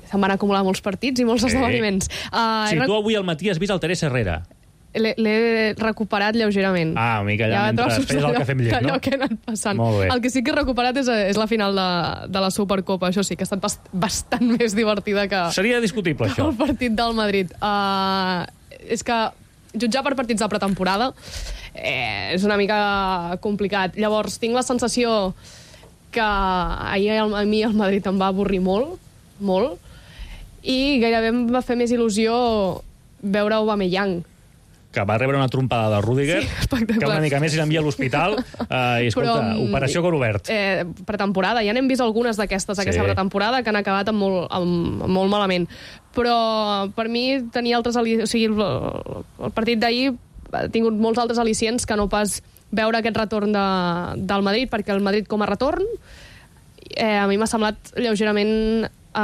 Se'n van acumular molts partits i molts Sí. esdeveniments. Uh, Si tu avui al matí has vist el Teresa Herrera. L'he recuperat lleugerament. Ah, una mica allà, Hi ha mentre trossos feies el d'allò- cafè amb llet, no? d'allò que he anat passant. Molt bé. El que sí que he recuperat és, és la final de, de la Supercopa. Això sí, que ha estat bast bastant més divertida que... Seria discutible, això. El partit del Madrid. Uh, és que jutjar per partits de pretemporada eh, és una mica complicat. Llavors, tinc la sensació que ahir a mi el Madrid em va avorrir molt, molt, i gairebé em va fer més il·lusió veure Aubameyang, que va rebre una trompada de Rüdiger, sí, que una mica més i l'envia a l'hospital, eh, i escolta, Però, operació cor obert. Eh, pretemporada, ja n'hem vist algunes d'aquestes, aquesta Sí. pretemporada, que han acabat amb molt, amb, amb molt malament. Però per mi tenia altres... Ali... O sigui, el, el partit d'ahir ha tingut molts altres al·licients que no pas veure aquest retorn de, del Madrid, perquè el Madrid com a retorn eh, a mi m'ha semblat lleugerament eh,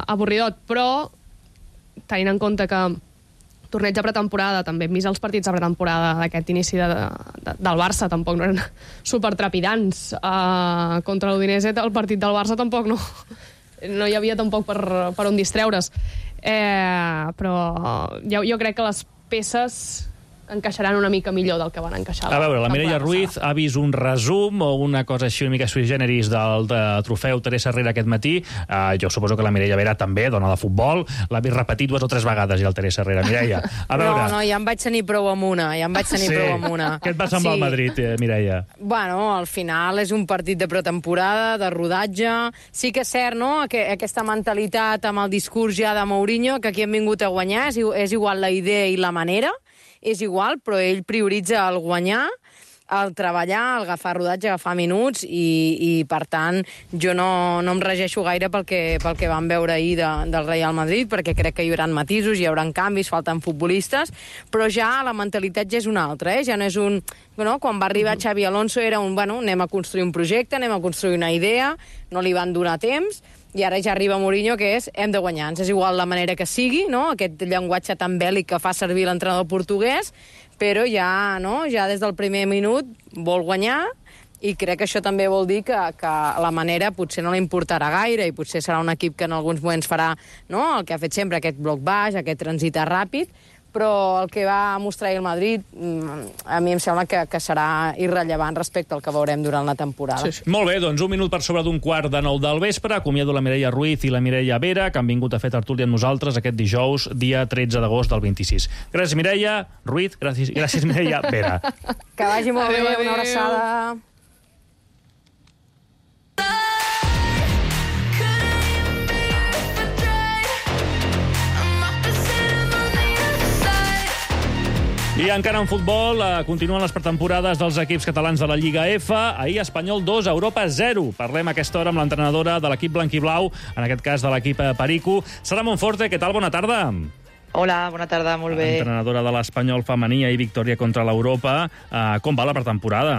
avorridot, però tenint en compte que torneig de pretemporada, també hem vist els partits de pretemporada d'aquest inici de, de, del Barça, tampoc no eren supertrepidants. Uh, contra l'Udinese, el partit del Barça tampoc no, no hi havia tampoc per, per on distreure's. Eh, però jo, jo crec que les peces encaixaran una mica millor del que van encaixar. A veure, la Mireia temporada Ruiz ha vist un resum o una cosa així una mica sui generis del de trofeu Teresa Herrera aquest matí. Uh, jo suposo que la Mireia Vera també, dona de futbol. L'ha vist repetir dues o tres vegades ja el Teresa Herrera. Mireia, a veure... No, no, ja em vaig tenir prou amb una, ja em vaig tenir sí. prou amb una. Què et va semblar sí. el Madrid, eh, Mireia? Bueno, al final és un partit de pretemporada, de rodatge. Sí que és cert, no?, que aquesta mentalitat amb el discurs ja de Mourinho, que aquí hem vingut a guanyar, és, és igual la idea i la manera, és igual, però ell prioritza el guanyar, el treballar, el agafar rodatge, agafar minuts, i, i per tant, jo no, no em regeixo gaire pel que, pel que vam veure ahir de, del Real Madrid, perquè crec que hi haurà matisos, hi haurà canvis, falten futbolistes, però ja la mentalitat ja és una altra, eh? Ja no és un... No? Quan va arribar Xavi Alonso era un, bueno, anem a construir un projecte, anem a construir una idea, no li van donar temps, i ara ja arriba Mourinho, que és hem de guanyar. Ens és igual la manera que sigui, no?, aquest llenguatge tan bèl·lic que fa servir l'entrenador portuguès, però ja, no?, ja des del primer minut vol guanyar, i crec que això també vol dir que, que la manera potser no li importarà gaire, i potser serà un equip que en alguns moments farà, no?, el que ha fet sempre, aquest bloc baix, aquest transitar ràpid, però el que va mostrar el Madrid a mi em sembla que, que serà irrellevant respecte al que veurem durant la temporada. Sí, sí. Molt bé, doncs un minut per sobre d'un quart de nou del vespre. Acomiado la Mireia Ruiz i la Mireia Vera, que han vingut a fer tertúlia amb nosaltres aquest dijous, dia tretze d'agost del vint-i-sis. Gràcies, Mireia Ruiz. Gràcies, gràcies Mireia Vera. Que vagi molt adéu, bé, adéu. una abraçada. I encara en futbol, eh, continuen les pretemporades dels equips catalans de la Lliga F. Ahir Espanyol dos, Europa zero. Parlem a aquesta hora amb l'entrenadora de l'equip blanquiblau, en aquest cas de l'equip Perico. Sara Monforte, què tal? Bona tarda. Hola, bona tarda, molt bé. Entrenadora de l'Espanyol femení i victòria contra l'Europa. Eh, com va la pretemporada?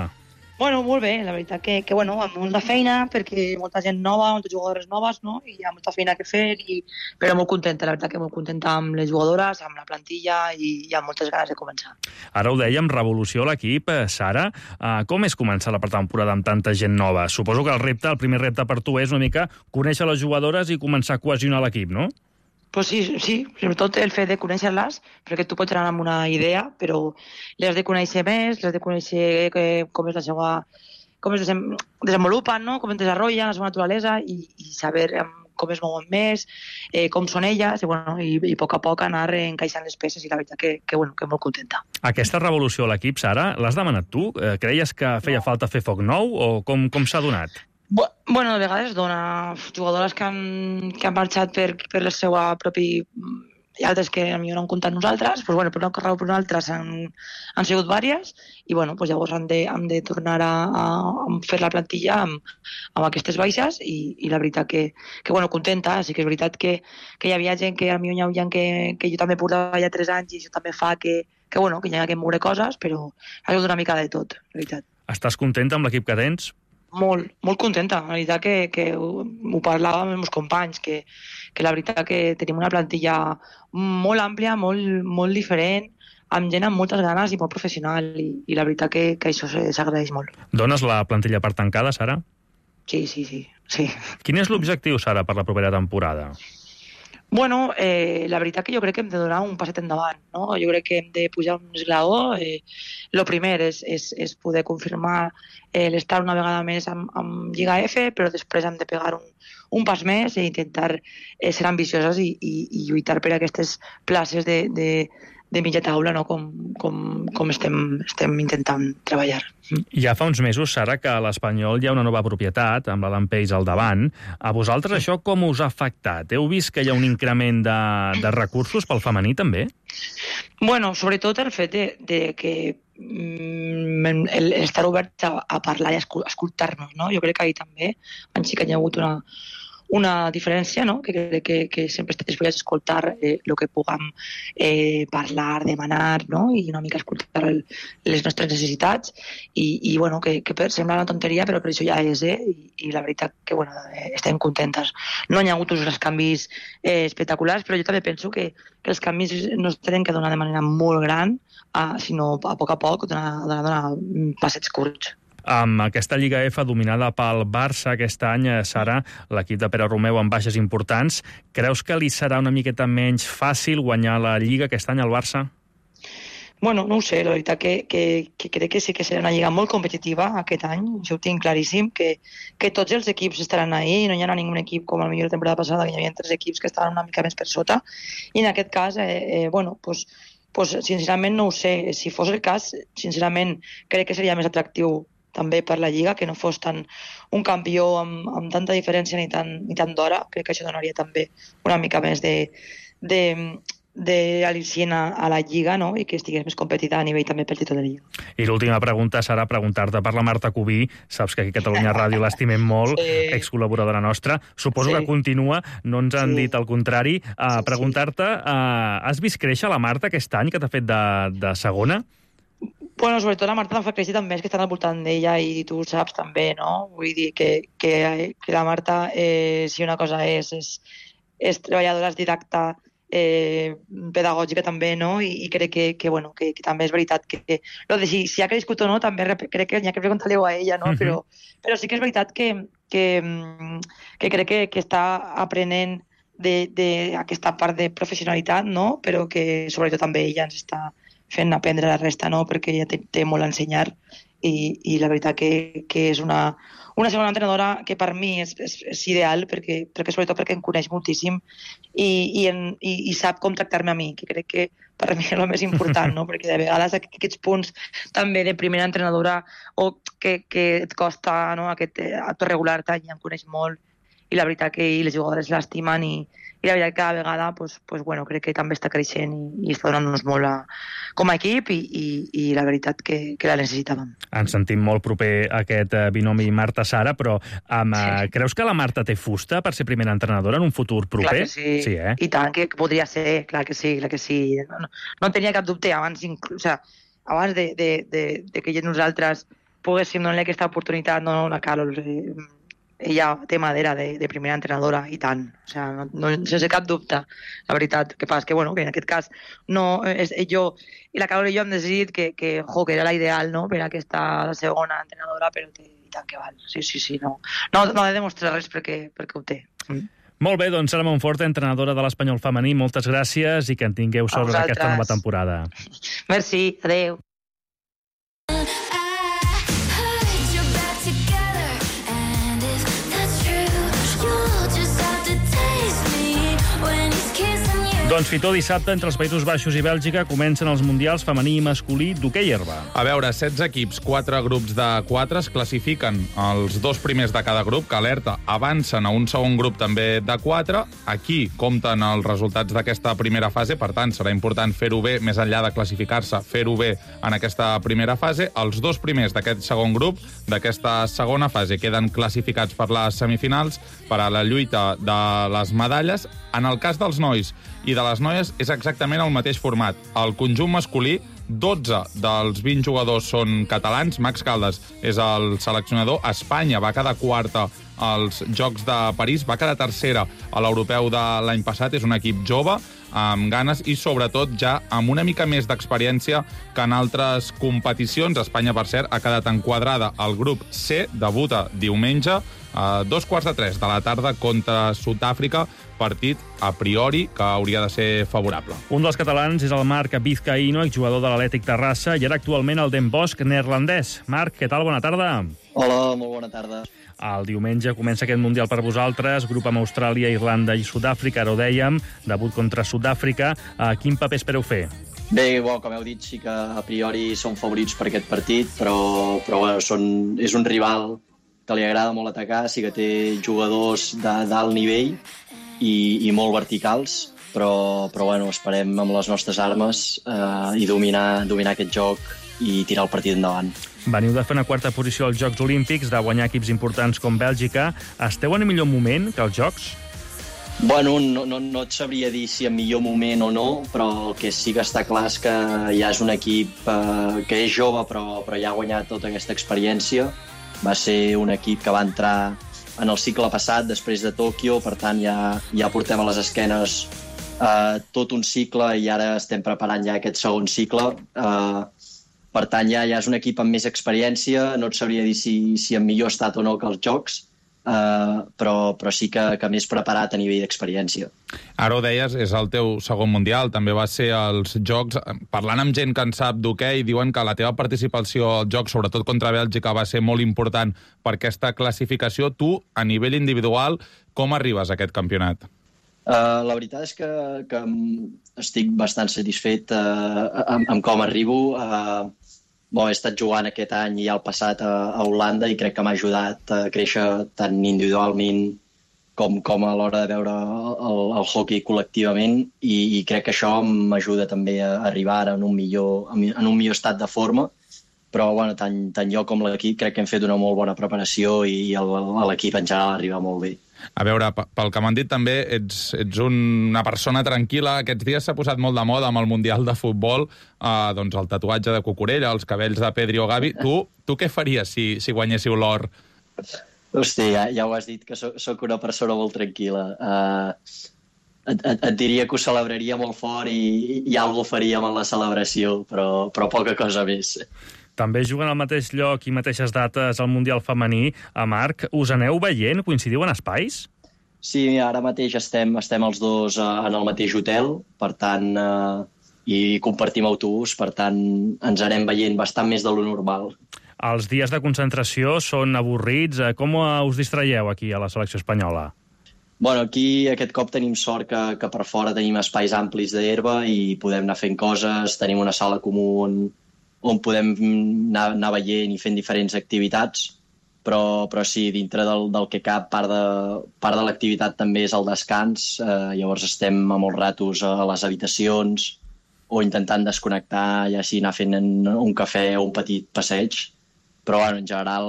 Bueno, molt bé, la veritat que, que bueno, amb molta feina, perquè molta gent nova, moltes jugadores noves, no?, i hi ha molta feina que fer, i... però molt contenta, la veritat que molt contenta amb les jugadores, amb la plantilla, i hi ha moltes ganes de començar. Ara ho dèiem, revolució a l'equip. Sara, eh, com és començar la pretemporada amb tanta gent nova? Suposo que el repte, el primer repte per tu és una mica conèixer les jugadores i començar a cohesionar l'equip, no? Pues sí, sí, sobretot el fet de conèixer-les, perquè tu pots anar amb una idea, però les has de conèixer més, les has de conèixer que, com és la seva, com es desem, desenvolupen, no?, com es desenvolupen, la seva naturalesa, i, i saber um, com es mouen més, eh, com són elles, i, bueno, i, i a poc a poc anar encaixant les peces, i la veritat que, que, bueno, que molt contenta. Aquesta revolució a l'equip, Sara, l'has demanat tu? Eh, creies que feia falta fer foc nou, o com, com s'ha donat? Bueno, de vegades dona jugadores que han, que han marxat per, per la seva propi hi ha altres que potser no han comptat nosaltres, doncs, bueno, per una cosa o per una altra han, han sigut vàries, i bueno, doncs llavors hem de, hem de tornar a, a, a fer la plantilla amb, amb aquestes baixes, i, i la veritat que, que bueno, contenta, sí que és veritat que, que hi havia gent que a mi hi havia gent que, que jo també portava ja tres anys, i això també fa que, que, bueno, que hi ha que moure coses, però ha sigut una mica de tot, la veritat. Estàs contenta amb l'equip que tens? Molt, molt contenta. La veritat que, que ho, ho parlàvem amb els meus companys, que, que la veritat que tenim una plantilla molt àmplia, molt, molt diferent, amb gent amb moltes ganes i molt professional, i, i la veritat que, que això s'agraeix molt. Dones la plantilla per tancada, Sara? Sí, sí, sí. sí. Quin és l'objectiu, Sara, per la propera temporada? Bueno, eh, la veritat que jo crec que hem de donar un passet endavant, no? Jo crec que hem de pujar un esglaó. Eh, lo primer és, és, és poder confirmar eh, l'estar una vegada més amb, amb Lliga F, però després hem de pegar un, un pas més i intentar eh, ser ambicioses i, i, i lluitar per aquestes places de, de, de mitja taula, no? com, com, com estem, estem intentant treballar. Ja fa uns mesos, Sara, que a l'Espanyol hi ha una nova propietat, amb l'Alan Peix al davant. A vosaltres això com us ha afectat? Heu vist que hi ha un increment de, de recursos pel femení, també? Bueno, sobretot el fet de, de que mm, el, estar oberts a, a parlar i a escoltar-nos, no? Jo crec que ahir també sí que hi ha hagut una, una diferència, no? Que crec que, que sempre estàs disposats a escoltar eh, el que puguem eh, parlar, demanar, no? I una mica escoltar el, les nostres necessitats, i, i bueno, que, que sembla una tonteria, però per això ja és, eh? I, i la veritat que bueno, eh, estem contentes. No hi ha hagut uns canvis eh, espectaculars, però jo també penso que, que els canvis no es tenen que donar de manera molt gran, eh, sinó a poc a poc, donar, donar, donar passets curts. Amb aquesta Lliga F dominada pel Barça aquest any, Sara, l'equip de Pere Romeu amb baixes importants, creus que li serà una miqueta menys fàcil guanyar la Lliga aquest any al Barça? Bueno, no ho sé, la veritat que, que, que crec que sí que serà una lliga molt competitiva aquest any, jo ho tinc claríssim, que, que tots els equips estaran ahí, no hi haurà ningú equip com a millor la temporada passada, que hi havia tres equips que estaven una mica més per sota, i en aquest cas, eh, eh, bueno, pues, pues, sincerament no ho sé, si fos el cas, sincerament crec que seria més atractiu també per la Lliga, que no fos tant un campió amb, amb tanta diferència ni tant, ni tant d'hora. Crec que això donaria també una mica més de, de, de al·licient a, a la Lliga, no? I que estigués més competida a nivell també pel títol de Lliga. I l'última pregunta serà preguntar-te per la Marta Cubí. Saps que aquí a Catalunya Ràdio l'estimem molt, sí. Excol·laboradora nostra. Suposo sí. que continua, no ens han sí. dit el contrari. Uh, preguntar-te, uh, has vist créixer la Marta aquest any que t'ha fet de, de segona? Bueno, sobretot la Marta em fa créixer també, és que estan al voltant d'ella i tu ho saps també, no? Vull dir que, que, que la Marta, eh, si una cosa és, és, és treballadora, és didacta, eh, pedagògica també, no? I, i crec que, que, bueno, que, que també és veritat que, que lo de si, si ha crescut o no, també crec que n'hi ha que preguntar-li a ella, no? Uh-huh. Però, però sí que és veritat que, que, que crec que, que està aprenent d'aquesta part de professionalitat, no? Però que sobretot també ella ens està fent aprendre la resta, no? Perquè ella té, té molt a ensenyar, i, i la veritat que, que és una, una segona entrenadora que per mi és, és, és ideal, perquè, perquè sobretot perquè em coneix moltíssim i, i, en, i, i sap com tractar-me a mi, que crec que per mi és el més important, no? Perquè de vegades aquests punts també de primera entrenadora o que, que et costa, no? Aquest acte regular tant, ja em coneix molt, i la veritat que i les jugadores l'estimen, i, i la veritat que cada vegada pues, pues, bueno, crec que també està creixent i, i està donant-nos molt a, com a equip, i, i, i la veritat que, que la necessitàvem. Ens sentim molt proper a aquest binomi Marta-Sara, però amb, sí. creus que la Marta té fusta per ser primera entrenadora en un futur proper? Clar que sí, sí eh? I tant, que podria ser, clar que sí, clar que sí. No, no, no tenia cap dubte abans, inclús, o sea, abans de, de, de, de que nosaltres poguéssim donar-li aquesta oportunitat, no, no, la Carol, eh, ella té madera de, de primera entrenadora, i tant, o sea, no, no, sense cap dubte, la veritat. Que passa que, bueno, que en aquest cas no, és, jo, i la Carol i jo hem decidit que, que, jo, que era la ideal, no?, per aquesta segona entrenadora, però que, i tant que val, sí, sí, sí, no, no, no ha de demostrar res perquè, perquè ho té. Mm. Molt bé, doncs Sara Monforte, entrenadora de l'Espanyol femení, moltes gràcies i que en tingueu sort en aquesta nova temporada. Merci, adeu. Doncs Fitó, dissabte, entre els Països Baixos i Bèlgica, comencen els mundials femení i masculí d'hoquei herba. A veure, setze equips, quatre grups de quatre, es classifiquen els dos primers de cada grup, que alerta, avancen a un segon grup també de quatre. Aquí compten els resultats d'aquesta primera fase, per tant, serà important fer-ho bé, més enllà de classificar-se, fer-ho bé en aquesta primera fase. Els dos primers d'aquest segon grup, d'aquesta segona fase, queden classificats per les semifinals, per a la lluita de les medalles. En el cas dels nois i de les noies és exactament el mateix format. El conjunt masculí, dotze dels vint jugadors són catalans. Max Caldas és el seleccionador. Espanya va quedar quarta als Jocs de París, va quedar tercera a l'europeu de l'any passat. És un equip jove, amb ganes i, sobretot, ja amb una mica més d'experiència que en altres competicions. Espanya, per cert, ha quedat enquadrada al grup C, debuta diumenge a dos quarts de tres de la tarda contra Sud-àfrica, partit a priori que hauria de ser favorable. Un dels catalans és el Marc Vizcaíno, exjugador de l'Atlètic Terrassa, i ara actualment el Den Bosch neerlandès. Marc, què tal? Bona tarda. Hola, molt bona tarda. El diumenge comença aquest Mundial per vosaltres, grup amb Austràlia, Irlanda i Sud-àfrica, ara ho dèiem, debut contra Sud-àfrica. Quin paper espereu fer? Bé, bueno, com heu dit, sí que a priori són favorits per aquest partit, però, però bueno, són, és un rival que li agrada molt atacar, sí que té jugadors d'alt nivell i, i molt verticals, però, però bueno, esperem amb les nostres armes eh, i dominar, dominar aquest joc i tirar el partit endavant. Veniu de fer una quarta posició als Jocs Olímpics, de guanyar equips importants com Bèlgica. Esteu en el millor moment que els Jocs? Bueno, no, no, no et sabria dir si en millor moment o no, però el que sí que està clar és que ja és un equip eh, que és jove, però, però ja ha guanyat tota aquesta experiència. Va ser un equip que va entrar en el cicle passat, després de Tòquio, per tant ja, ja portem a les esquenes eh, tot un cicle i ara estem preparant ja aquest segon cicle. Eh, per tant, ja, ja és un equip amb més experiència, no et sabria dir si, si en millor estat o no que els Jocs, Uh, però, però sí que, que més preparat a nivell d'experiència. Ara ho deies, és el teu segon mundial, també va ser als Jocs. Parlant amb gent que en sap d'hoquei, diuen que la teva participació als Jocs, sobretot contra Bèlgica, va ser molt important per aquesta classificació. Tu, a nivell individual, com arribes a aquest campionat? Uh, la veritat és que, que estic bastant satisfet uh, amb, amb com arribo. Uh, Bon, he estat jugant aquest any i el passat a, a Holanda i crec que m'ha ajudat a créixer tant individualment com, com a l'hora de veure el, el hockey col·lectivament i, i crec que això m'ajuda també a arribar en un millor, en un millor estat de forma. Però bueno, tant, tant jo com l'equip crec que hem fet una molt bona preparació i l'equip en general arriba molt bé. A veure, pel que m'han dit també, ets, ets una persona tranquil·la. Aquests dies s'ha posat molt de moda amb el Mundial de Futbol, eh, doncs el tatuatge de Cucurella, els cabells de Pedri o Gavi. Tu, tu què faries si, si guanyéssiu l'or? Hosti, ja, ja ho has dit, que soc, soc una persona molt tranquil·la. Uh, et, et, et diria que ho celebraria molt fort i, i alguna cosa faríem en la celebració, però, però poca cosa més. També juguen al mateix lloc i mateixes dates al Mundial femení. A Marc, us aneu veient? Coincidiu en espais? Sí, ara mateix estem, estem els dos uh, en el mateix hotel, per tant, uh, i compartim autobús, per tant, ens anem veient bastant més de lo normal. Els dies de concentració són avorrits. Com us distraieu aquí a la selecció espanyola? Bueno, aquí aquest cop tenim sort que, que per fora tenim espais amplis d'herba i podem anar fent coses, tenim una sala comú on on podem anar, anar veient i fent diferents activitats, però, però sí, dintre del, del que cap, part de, part de l'activitat també és el descans, eh, llavors estem a molts ratos a les habitacions o intentant desconnectar, ja sigui anar fent un cafè o un petit passeig, però bueno, en general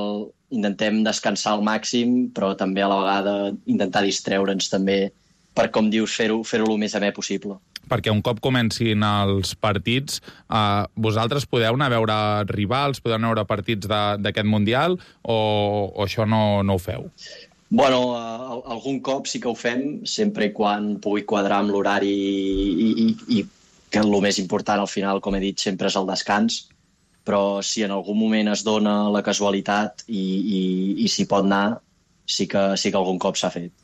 intentem descansar al màxim, però també a la vegada intentar distreure'ns també per, com dius, fer-ho fer-ho el més amè possible. Perquè un cop comencin els partits, eh, vosaltres podeu anar a veure rivals, podeu anar a veure partits d'aquest Mundial, o, o això no, no ho feu? Bueno, uh, algun cop sí que ho fem, sempre i quan pugui quadrar amb l'horari i, i, i que el més important al final, com he dit, sempre és el descans, però si en algun moment es dona la casualitat i, i, i s'hi pot anar, sí que, sí que algun cop s'ha fet.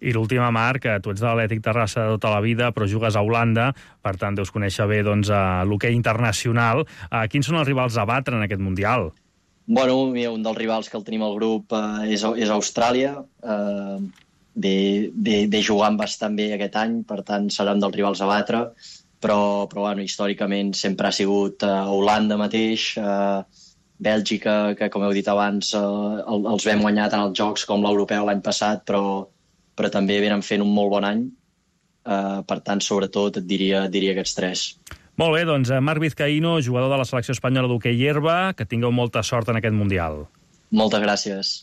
I l'última, Marc, tu ets de l'Atlètic Terrassa de tota la vida, però jugues a Holanda, per tant deus conèixer bé doncs, l'hoquei internacional. Quins són els rivals a batre en aquest Mundial? Bueno, un dels rivals que el tenim al grup eh, és, és Austràlia. Eh, de, de, de jugant bastant bé aquest any, per tant serà un dels rivals a batre, però, però bueno, històricament sempre ha sigut uh, Holanda mateix, uh, Bèlgica, que com heu dit abans uh, els vam guanyar tant als Jocs com l'Europeu l'any passat, però, però també venen fent un molt bon any, uh, per tant sobretot et diria, et diria aquests tres. Molt bé, doncs Marc Vizcaíno, jugador de la selecció espanyola d'hoquei herba, que tingueu molta sort en aquest Mundial. Moltes gràcies.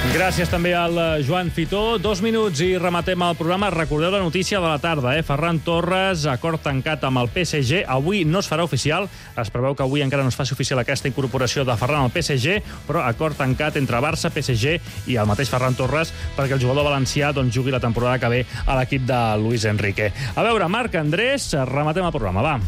Gràcies també al Joan Fitó. Dos minuts i rematem el programa. Recordeu la notícia de la tarda, eh? Ferran Torres, acord tancat amb el P S G. Avui no es farà oficial. Es preveu que avui encara no es faci oficial aquesta incorporació de Ferran al P S G, però acord tancat entre Barça, P S G i el mateix Ferran Torres perquè el jugador valencià doncs, jugui la temporada que ve a l'equip de Luis Enrique. A veure, Marc, Andrés, rematem el programa, va.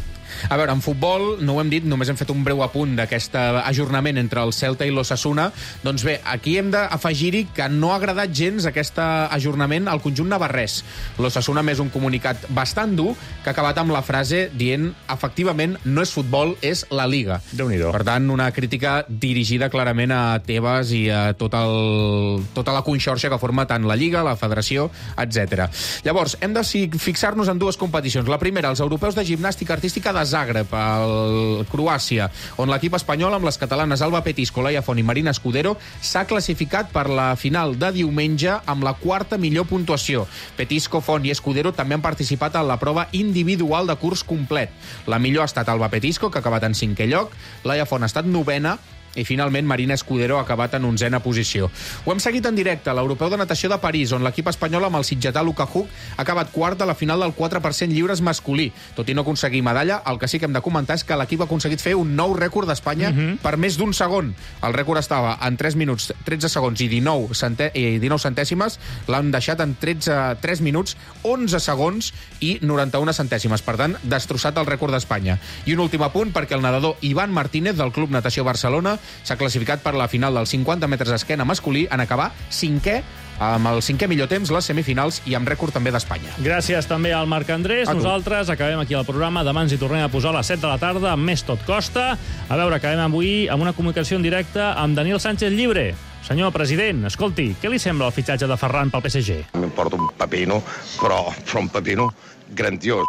A veure, en futbol, no ho hem dit, només hem fet un breu apunt d'aquest ajornament entre el Celta i l'Osasuna. Doncs bé, aquí hem d'afegir-hi que no ha agradat gens aquest ajornament al conjunt navarrès. L'Osasuna més un comunicat bastant dur que ha acabat amb la frase dient efectivament no és futbol, és la Liga. Déu-n'hi-do. Per tant, una crítica dirigida clarament a Tebas i a tot el, tota la conxorxa que forma tant la Lliga, la Federació, etcètera. Llavors, hem de fixar-nos en dues competicions. La primera, els europeus de gimnàstica artística de Zagreb, al Croàcia, on l'equip espanyol amb les catalanes Alba Petisco, Laia Font i Marina Escudero s'ha classificat per la final de diumenge amb la quarta millor puntuació. Petisco, Font i Escudero també han participat en la prova individual de curs complet. La millor ha estat Alba Petisco, que ha acabat en cinquè lloc, Laia Font ha estat novena, i finalment Marina Escudero ha acabat en onzena posició. Ho hem seguit en directe a l'Europeu de Natació de París, on l'equip espanyol amb el sitgetà Luka Hug ha acabat quart a la final del quatre per cent lliures masculí. Tot i no aconseguir medalla, el que sí que hem de comentar és que l'equip ha aconseguit fer un nou rècord d'Espanya uh-huh. per més d'un segon. El rècord estava en tres minuts, tretze segons i dinou, centè i dinou centèsimes, l'han deixat en tretze, tres minuts, onze segons i noranta-una centèsimes. Per tant, destrossat el rècord d'Espanya. I un últim apunt perquè el nedador Ivan Martínez del Club Natació Barcelona s'ha classificat per la final dels cinquanta metres d'esquena masculí en acabar cinquè, amb el cinquè millor temps, les semifinals i amb rècord també d'Espanya. Gràcies també al Marc Andrés. Nosaltres acabem aquí el programa. Demà ens hi tornem a posar a les set de la tarda amb més Tot Costa. A veure, acabem avui amb una comunicació en directe amb Daniel Sánchez Llibre. Senyor president, escolti, què li sembla el fitxatge de Ferran pel P S G? M'importa un pepino, però, però un pepino grandiós.